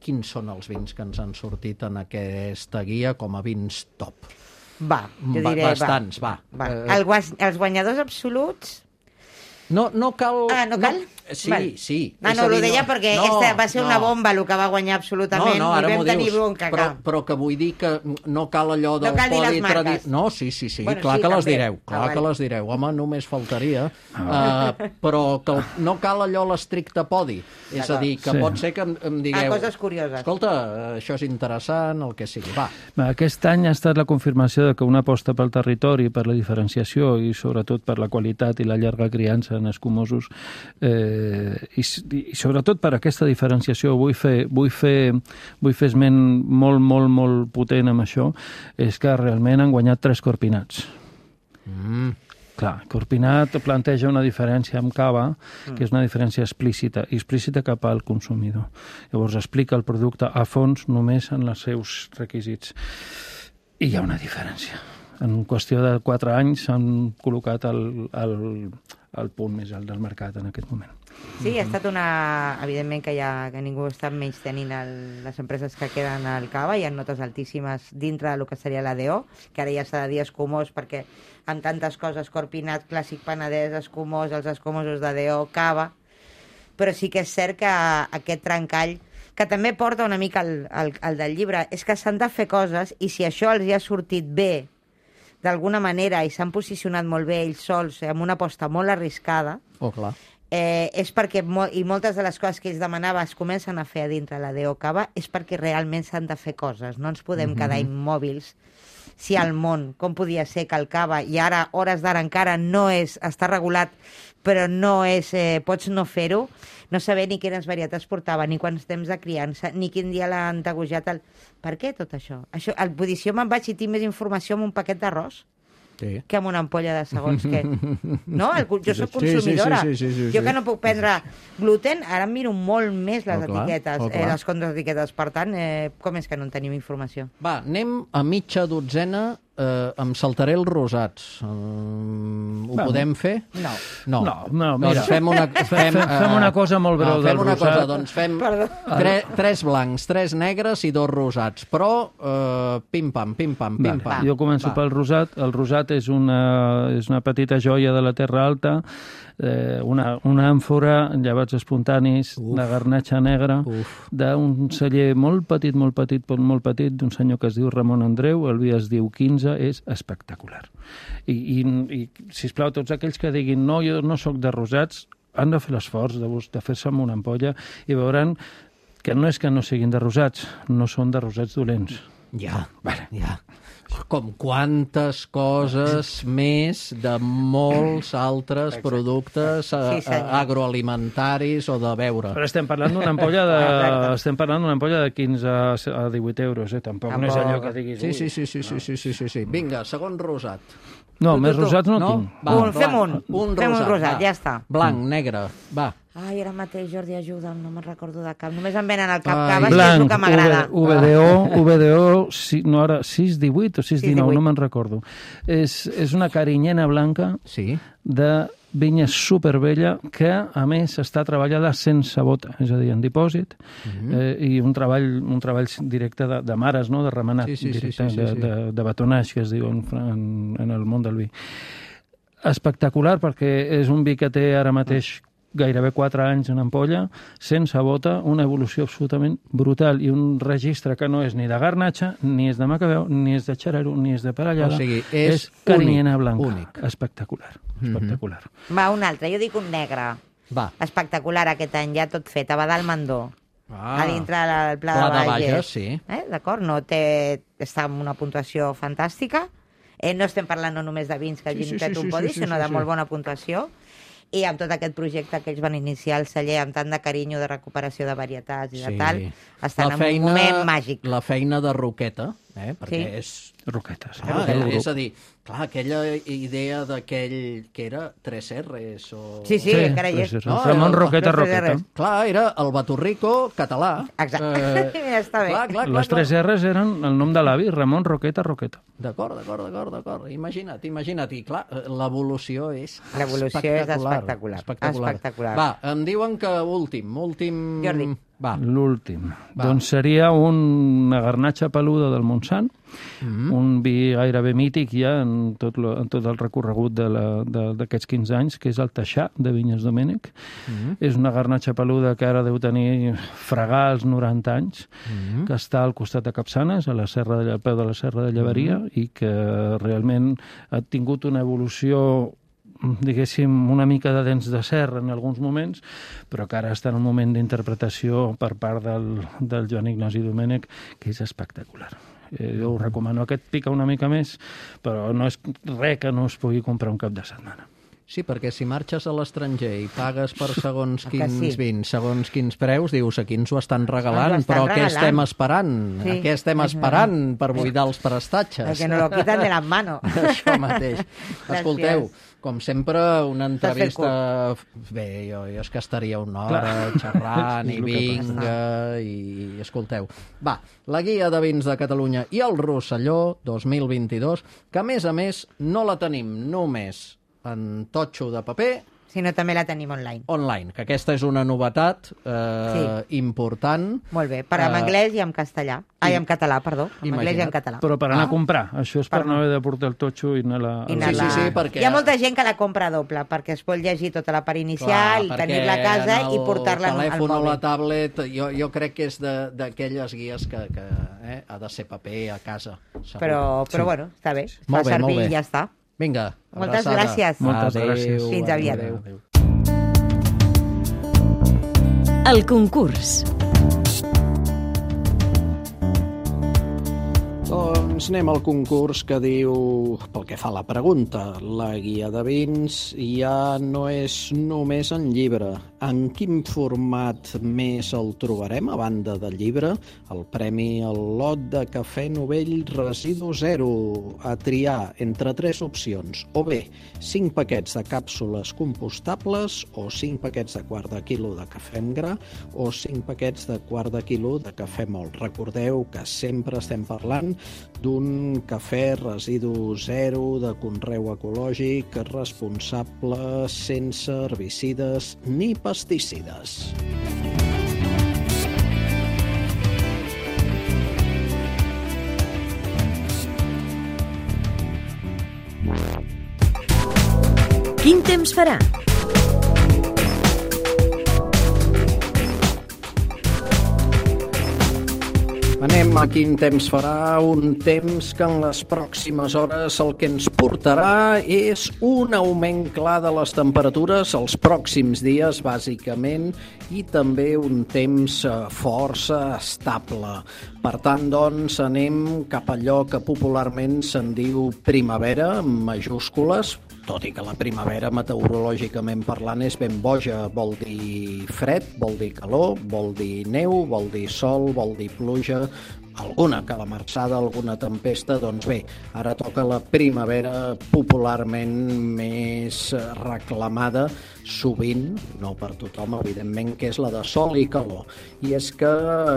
Quins són els vins que ens han sortit en aquesta guia com a vins top? Va, jo Va- diré... bastants, va. va. Eh, El guas, els guanyadors absoluts... No, no cal... Ah, no cal? Sí, Val. sí. Ah, És no, a ho dir, deia no, perquè no, aquesta va ser no. una bomba el que va guanyar absolutament No, no, ara i m'ho vam tenir dius, bronca. però, clar. però que vull dir que no cal allò del No cal dir les podi marques. tradi- No, sí, sí, sí, Bueno, clar sí, que les també. direu, clar Ah, que vale. les direu. Home, només faltaria. Uh, però que el- no cal allò l'estricte podi. És a dir, que Sí. pot ser que em, em digueu... Ah, coses curioses. Escolta, això és interessant, el que sigui. Va. Va, Aquest any ha estat la confirmació de que una aposta pel territori, per la diferenciació i sobretot per la qualitat i la llarga criança en escumosos eh, i, i sobretot per aquesta diferenciació vull fer, vull fer, vull fer esment molt, molt, molt potent amb això, és que realment han guanyat tres corpinats. Mm. Clar, Corpinat planteja una diferència amb cava, que és una diferència explícita, i explícita cap al consumidor. Llavors explica el producte a fons només en els seus requisits. I hi ha una diferència. En qüestió de quatre anys s'han col·locat el, el, el punt més alt del mercat en aquest moment. Sí, ha estat una... Evidentment que, ja, que ningú està menys tenint el, les empreses que queden al cava, hi ha notes altíssimes dintre del que seria l'A D O, que ara ja s'ha de dir escumós, perquè amb tantes coses, Corpinat, Clàssic Penedès, escumós, els escumosos d'A D O, cava, però sí que és cert que aquest trencall, que també porta una mica el, el, el del llibre, és que s'han de fer coses i si això els hi ha sortit bé d'alguna manera i s'han posicionat molt bé ells sols amb una aposta molt arriscada, Oh, clar. eh, és perquè, mo i moltes de les coses que ells demanaven es comencen a fer a dintre la D O Cava, és perquè realment s'han de fer coses. No ens podem Mhm. quedar immòbils si al món, com podia ser que el cava, i ara, hores d'ara encara no és, està regulat, però no és, eh, pots no fer-ho, no saber ni quines varietats portava, ni quants temps de criança, ni quin dia l'han tegujat. El... Per què tot això? això el, vull dir, si jo me'n vaig i tinc més informació amb un paquet d'arròs, Sí. que amb una ampolla de segons què. No? El, jo soc Sí, sí, sí, consumidora. sí, sí, sí, sí. Jo que no puc prendre gluten, ara em miro molt més les Oh, clar, etiquetes, oh, eh, clar. les contraetiquetes. Per tant, eh, com és que no en tenim informació? Va, anem a mitja dotzena, eh, em saltaré els rosats. Eh, ho Bueno. podem fer? No. No, No, no, mira. Doncs fem una, fem, Fem- fem una cosa molt breu no, fem del una rosat. cosa, doncs fem tre, tres blancs, tres negres i dos rosats, però eh, pim-pam, pim-pam, Vale. pim-pam. Jo començo Va. pel rosat. El rosat és una, és una petita joia de la Terra Alta, eh, una, una àmfora, llevats espontanis, Uf. de garnatxa negra, Uf. d'un celler molt petit, molt petit, molt, molt petit, d'un senyor que es diu Ramon Andreu, el vi es diu quinze, és espectacular. I, i, i sisplau, tots aquells que diguin no, jo no sóc de rosats, han de fer l'esforç de, bus- de fer-se amb una ampolla i veuran que no és que no siguin de rosats, no són de rosats dolents. Ja, vale. ja. Com quantes coses més de molts altres Exacte. productes Sí, sí, senyor. agroalimentaris o de beure. Però estem parlant d'una ampolla de, estem parlant d'una ampolla de quinze a divuit euros, eh? Tampoc, no és allò que diguis... Sí, ui. sí, sí, sí, sí, sí, sí, sí, sí. Vinga, segon rosat. No, Tu, més tu, tu. rosats no, No? tinc. Va, Un, fem un. Un Fem un rosat, rosat, va. ja està. Blanc, negre, va. Ai, ara mateix, Jordi, ajuda'm, no me'n recordo de cap. Només em venen al cap Ai. caves, que és el Blanc, que m'agrada. V D O, V D O, si, no ara, sis divuit o sis dinou, no me'n recordo. És, és una carinyena blanca Sí. de vinya supervella que, a més, està treballada sense bota, és a dir, en dipòsit, Mhm. eh, i un treball, un treball directe de, de mares, no?, de remenat, Sí, sí, sí, directe, sí, sí, de, sí. de, de batonatge, que es diu en, en, en el món del vi. Espectacular, perquè és un vi que té ara mateix gairebé quatre anys en ampolla, sense bota, una evolució absolutament brutal i un registre que no és ni de garnatxa, ni és de macabeu, ni és de xarero, ni és de parellada. O sigui, és és carinyena únic, blanca. únic. Espectacular, espectacular. Va, un altre, jo dic un negre. Va. Espectacular aquest any, ja tot fet, a Badal Mandó. Ah. A dintre del Pla, Pla de de Bages. Bages, sí. Eh? D'acord? No té... Està amb una puntuació fantàstica. Eh, no estem parlant no només de vins que Sí, hagin sí, fet sí, un sí, podi, sí, sí, sinó sí, de sí. molt bona puntuació. I amb tot aquest projecte que ells van iniciar el celler amb tant de carinyo de recuperació de varietats i de tal, estan en un moment màgic. La feina de Roqueta, eh? Perquè Sí. és... Roquetes. Ah, el grup. és a dir, clar, aquella idea d'aquell que era tres erres o... Sí, sí, Sí, encara hi és. sí, sí. No, Ramon era- Roqueta los tres Roqueta. R's. Clar, era el Baturrico català. Exacte. Ja està bé. Clar, clar, clar, Les tres clar. R's eren el nom de l'avi, Ramon Roqueta Roqueta. D'acord, d'acord, d'acord, d'acord. Imagina't, imagina't. I clar, l'evolució és L'evolució és espectacular. espectacular. Espectacular. Va, em diuen que últim, últim... Jordi. Va. L'últim. Va. Doncs seria una garnatxa peluda del Montsant, Mm. un vi gairebé mític ja en tot, lo, en tot el recorregut de la- de- d'aquests quinze anys, que és el Taixà, de Vinyes Domènech. Mm. És una garnatxa peluda que ara deu tenir fregar els noranta anys, Mm. que està al costat de Capçanes, a la serra de, al peu de la Serra de Llevaria, i que realment ha tingut una evolució diguéssim, una mica de dents de serra en alguns moments, però que ara està en un moment d'interpretació per part del, del Joan Ignasi Domènech, que és espectacular. Eh, jo ho recomano. Aquest pica una mica més, però no és res que no es pugui comprar un cap de setmana. Sí, perquè si marxes a l'estranger i pagues per segons Que quins sí. vins, segons quins preus, dius, aquí ens ho estan regalant, Ens ho estan però què regalant. estem esperant? Sí. Què estem esperant per buidar els prestatges? Que no lo quitan de las manos. Això mateix. Gràcies. Escolteu, com sempre, una T'has fet entrevista... Bé, jo, jo és que estaria una hora Clar. xerrant És i el que vinga, i escolteu. Va, la guia de vins de Catalunya i el Rosselló dos mil vint-i-dos, que a més a més no la tenim només en totxo de paper, Si no, també la tenim online. online, que aquesta és una novetat eh, important. Molt bé, per en Eh, anglès i en castellà. Ai, en català, perdó. En anglès i en català. Però per anar Ah. a comprar. Això és per, Per no haver de portar el totxo i anar-la... I anar-la- sí, sí, perquè- Hi ha molta gent que la compra doble, perquè es pot llegir tota la part inicial, Clar, tenir-la a casa en i portar-la el al telèfon o la mòbil. tablet, jo, jo crec que és de- d'aquelles guies que, que eh, ha de ser paper a casa. Segur. Però, però bueno, està bé. Es fa Molt bé, molt servir bé. i ja està. Vinga, Moltes abraçada. gràcies. Moltes Adéu, gràcies. Fins aviat. adéu. El concurs. Doncs anem al concurs que diu, pel que fa a la pregunta, la guia de vins ja no és només en llibre. En quin format més el trobarem, a banda del llibre? El premi al lot de cafè novell residu zero, a triar entre tres opcions. O bé, cinc paquets de càpsules compostables, o cinc paquets de quart de quilo de cafè en gra, o cinc paquets de quart de quilo de cafè mòlt. Recordeu que sempre estem parlant d'un cafè residu zero de conreu ecològic responsable sense herbicides ni pesticides. Quin temps farà? Anem a quin temps farà, un temps que en les pròximes hores el que ens portarà és un augment clar de les temperatures els pròxims dies, bàsicament, i també un temps eh, força estable. Per tant, doncs, anem cap a allò que popularment se'n diu primavera, amb majúscules, tot i que la primavera, meteorològicament parlant, és ben boja. Vol dir fred, vol dir calor, vol dir neu, vol dir sol, vol dir pluja, alguna calamarsada, alguna tempesta. Doncs bé, ara toca la primavera popularment més reclamada, sovint, no per tothom, evidentment, que és la de sol i calor. I és que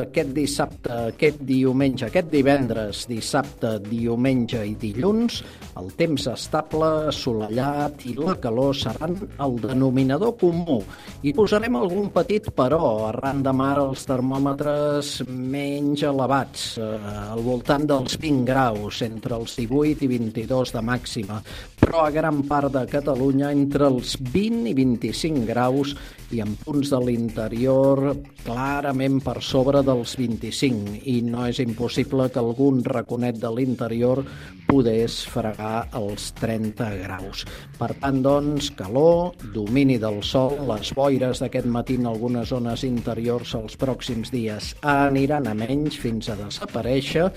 aquest dissabte, aquest diumenge, aquest divendres, dissabte, diumenge i dilluns, el temps estable, assolellat i la calor seran el denominador comú. I posarem algun petit però, arran de mar els termòmetres menys elevats, eh, al voltant dels vint graus, entre els divuit i vint-i-dos de màxima, però a gran part de Catalunya entre els vint i vint-i-cinc graus i en punts de l'interior clarament per sobre dels vint-i-cinc, i no és impossible que algun raconet de l'interior podés fregar els trenta graus. Per tant, doncs, calor, domini del sol, les boires d'aquest matí en algunes zones interiors els pròxims dies aniran a menys fins a desaparèixer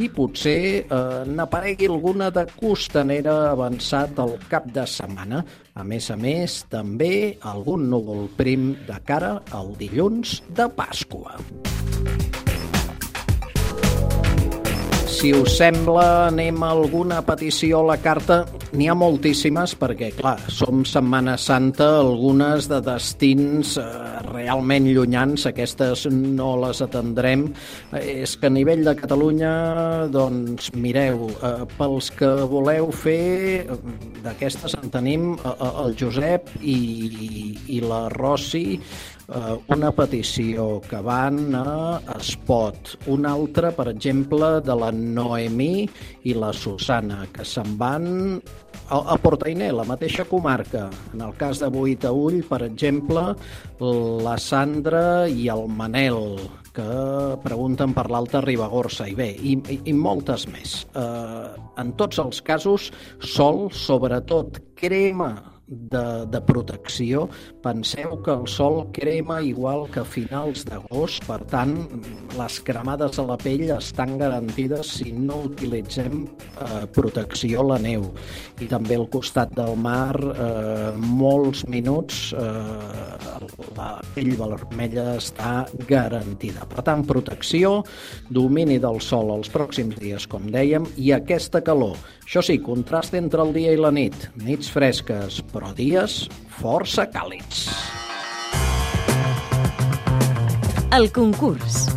i potser eh, n'aparegui alguna de costanera avançat al cap de setmana. A més a més, també algun núvol prim de cara al dilluns de Pasqua. si us sembla, anem a alguna petició a la carta. N'hi ha moltíssimes, perquè, clar, som Setmana Santa, algunes de destins eh, realment llunyans, aquestes no les atendrem. Eh, és que a nivell de Catalunya, doncs, mireu, eh, pels que voleu fer, d'aquestes en tenim eh, el Josep i, i la Rosi, eh, una petició que van a Espot, una altra, per exemple, de la Noemí i la Susana, que se'n van a, a Portainer, la mateixa comarca. En el cas de Boïtaüll, per exemple, la Sandra i el Manel, que pregunten per l'Alta Ribagorça, i bé, i, i, i moltes més. Eh, en tots els casos, sol, sobretot crema de, de protecció. Penseu que el sol crema igual que a finals d'agost, per tant, les cremades a la pell estan garantides si no utilitzem eh, protecció a la neu. I també al costat del mar, eh, molts minuts, eh, la pell vermella està garantida. Per tant, protecció, domini del sol els pròxims dies, com dèiem, i aquesta calor. Això sí, contrast entre el dia i la nit. Nits fresques, però dies força càlids. El concurs.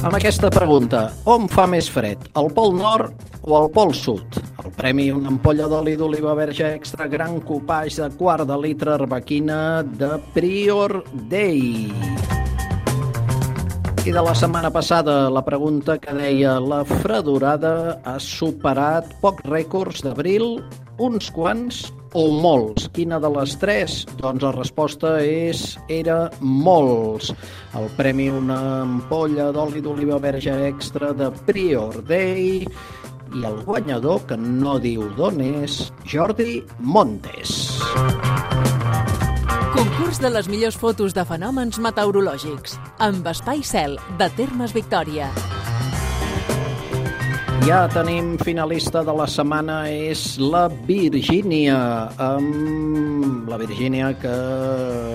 Amb aquesta pregunta, on fa més fred, al Pol Nord o al Pol Sud? El premi, una ampolla d'oli d'oliva verge extra gran copage de quart de litre arbequina de Prior Day. I de la setmana passada, la pregunta que deia la fredorada ha superat pocs rècords d'abril, uns quants o molts. Quina de les tres? Doncs la resposta és era molts. El premi, una ampolla d'oli d'oliva verge extra de Prior Day, i el guanyador, que no diu d'on és, Jordi Montes. Concurs de les millors fotos de fenòmens meteorològics, amb Espai Cel, de Termes Victòria. Ja tenim finalista de la setmana, és la Virgínia, amb la Virgínia, que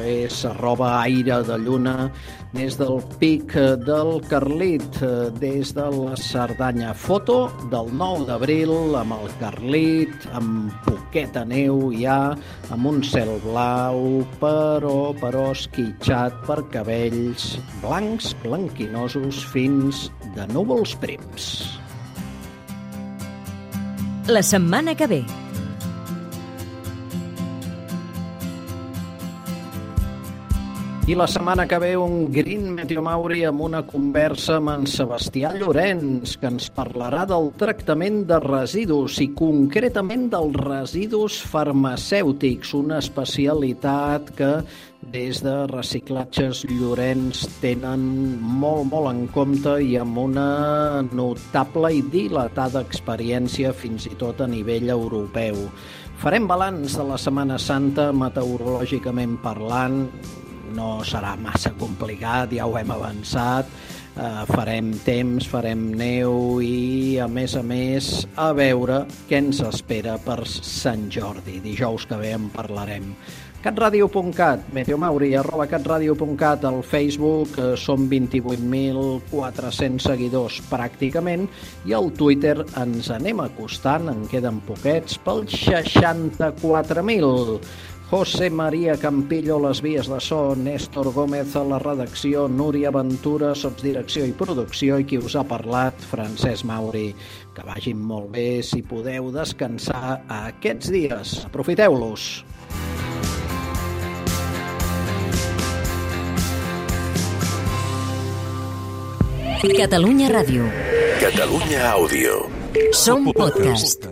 és arroba aire de lluna, des del pic del Carlit, des de la Cerdanya. Foto del nou d'abril amb el Carlit, amb poqueta neu ja, amb un cel blau, però, però esquitxat per cabells blancs, blanquinosos, fins de núvols prims. La setmana que ve. I la setmana que ve un Green Meteomauri amb una conversa amb en Sebastià Llorenç, que ens parlarà del tractament de residus i concretament dels residus farmacèutics, una especialitat que des de Reciclatges Llorenç tenen molt, molt en compte i amb una notable i dilatada experiència fins i tot a nivell europeu. Farem balanç de la Setmana Santa meteorològicament parlant. No serà massa complicat, ja ho hem avançat, uh, farem temps, farem neu i, a més a més, a veure què ens espera per Sant Jordi. Dijous que ve en parlarem. catradio punt cat, Meteomauri, arroba catradio punt cat, al Facebook eh, som vint-i-vuit mil quatre-cents seguidors pràcticament, i al Twitter ens anem acostant, en queden poquets, pels seixanta-quatre mil. José María Campillo, les vies de so, Néstor Gómez a la redacció, Núria Ventura, sotsdirecció i producció, i qui us ha parlat, Francesc Mauri. Que vagin molt bé, si podeu descansar aquests dies. Aprofiteu-los! Catalunya Ràdio. Catalunya Àudio. Som podcast.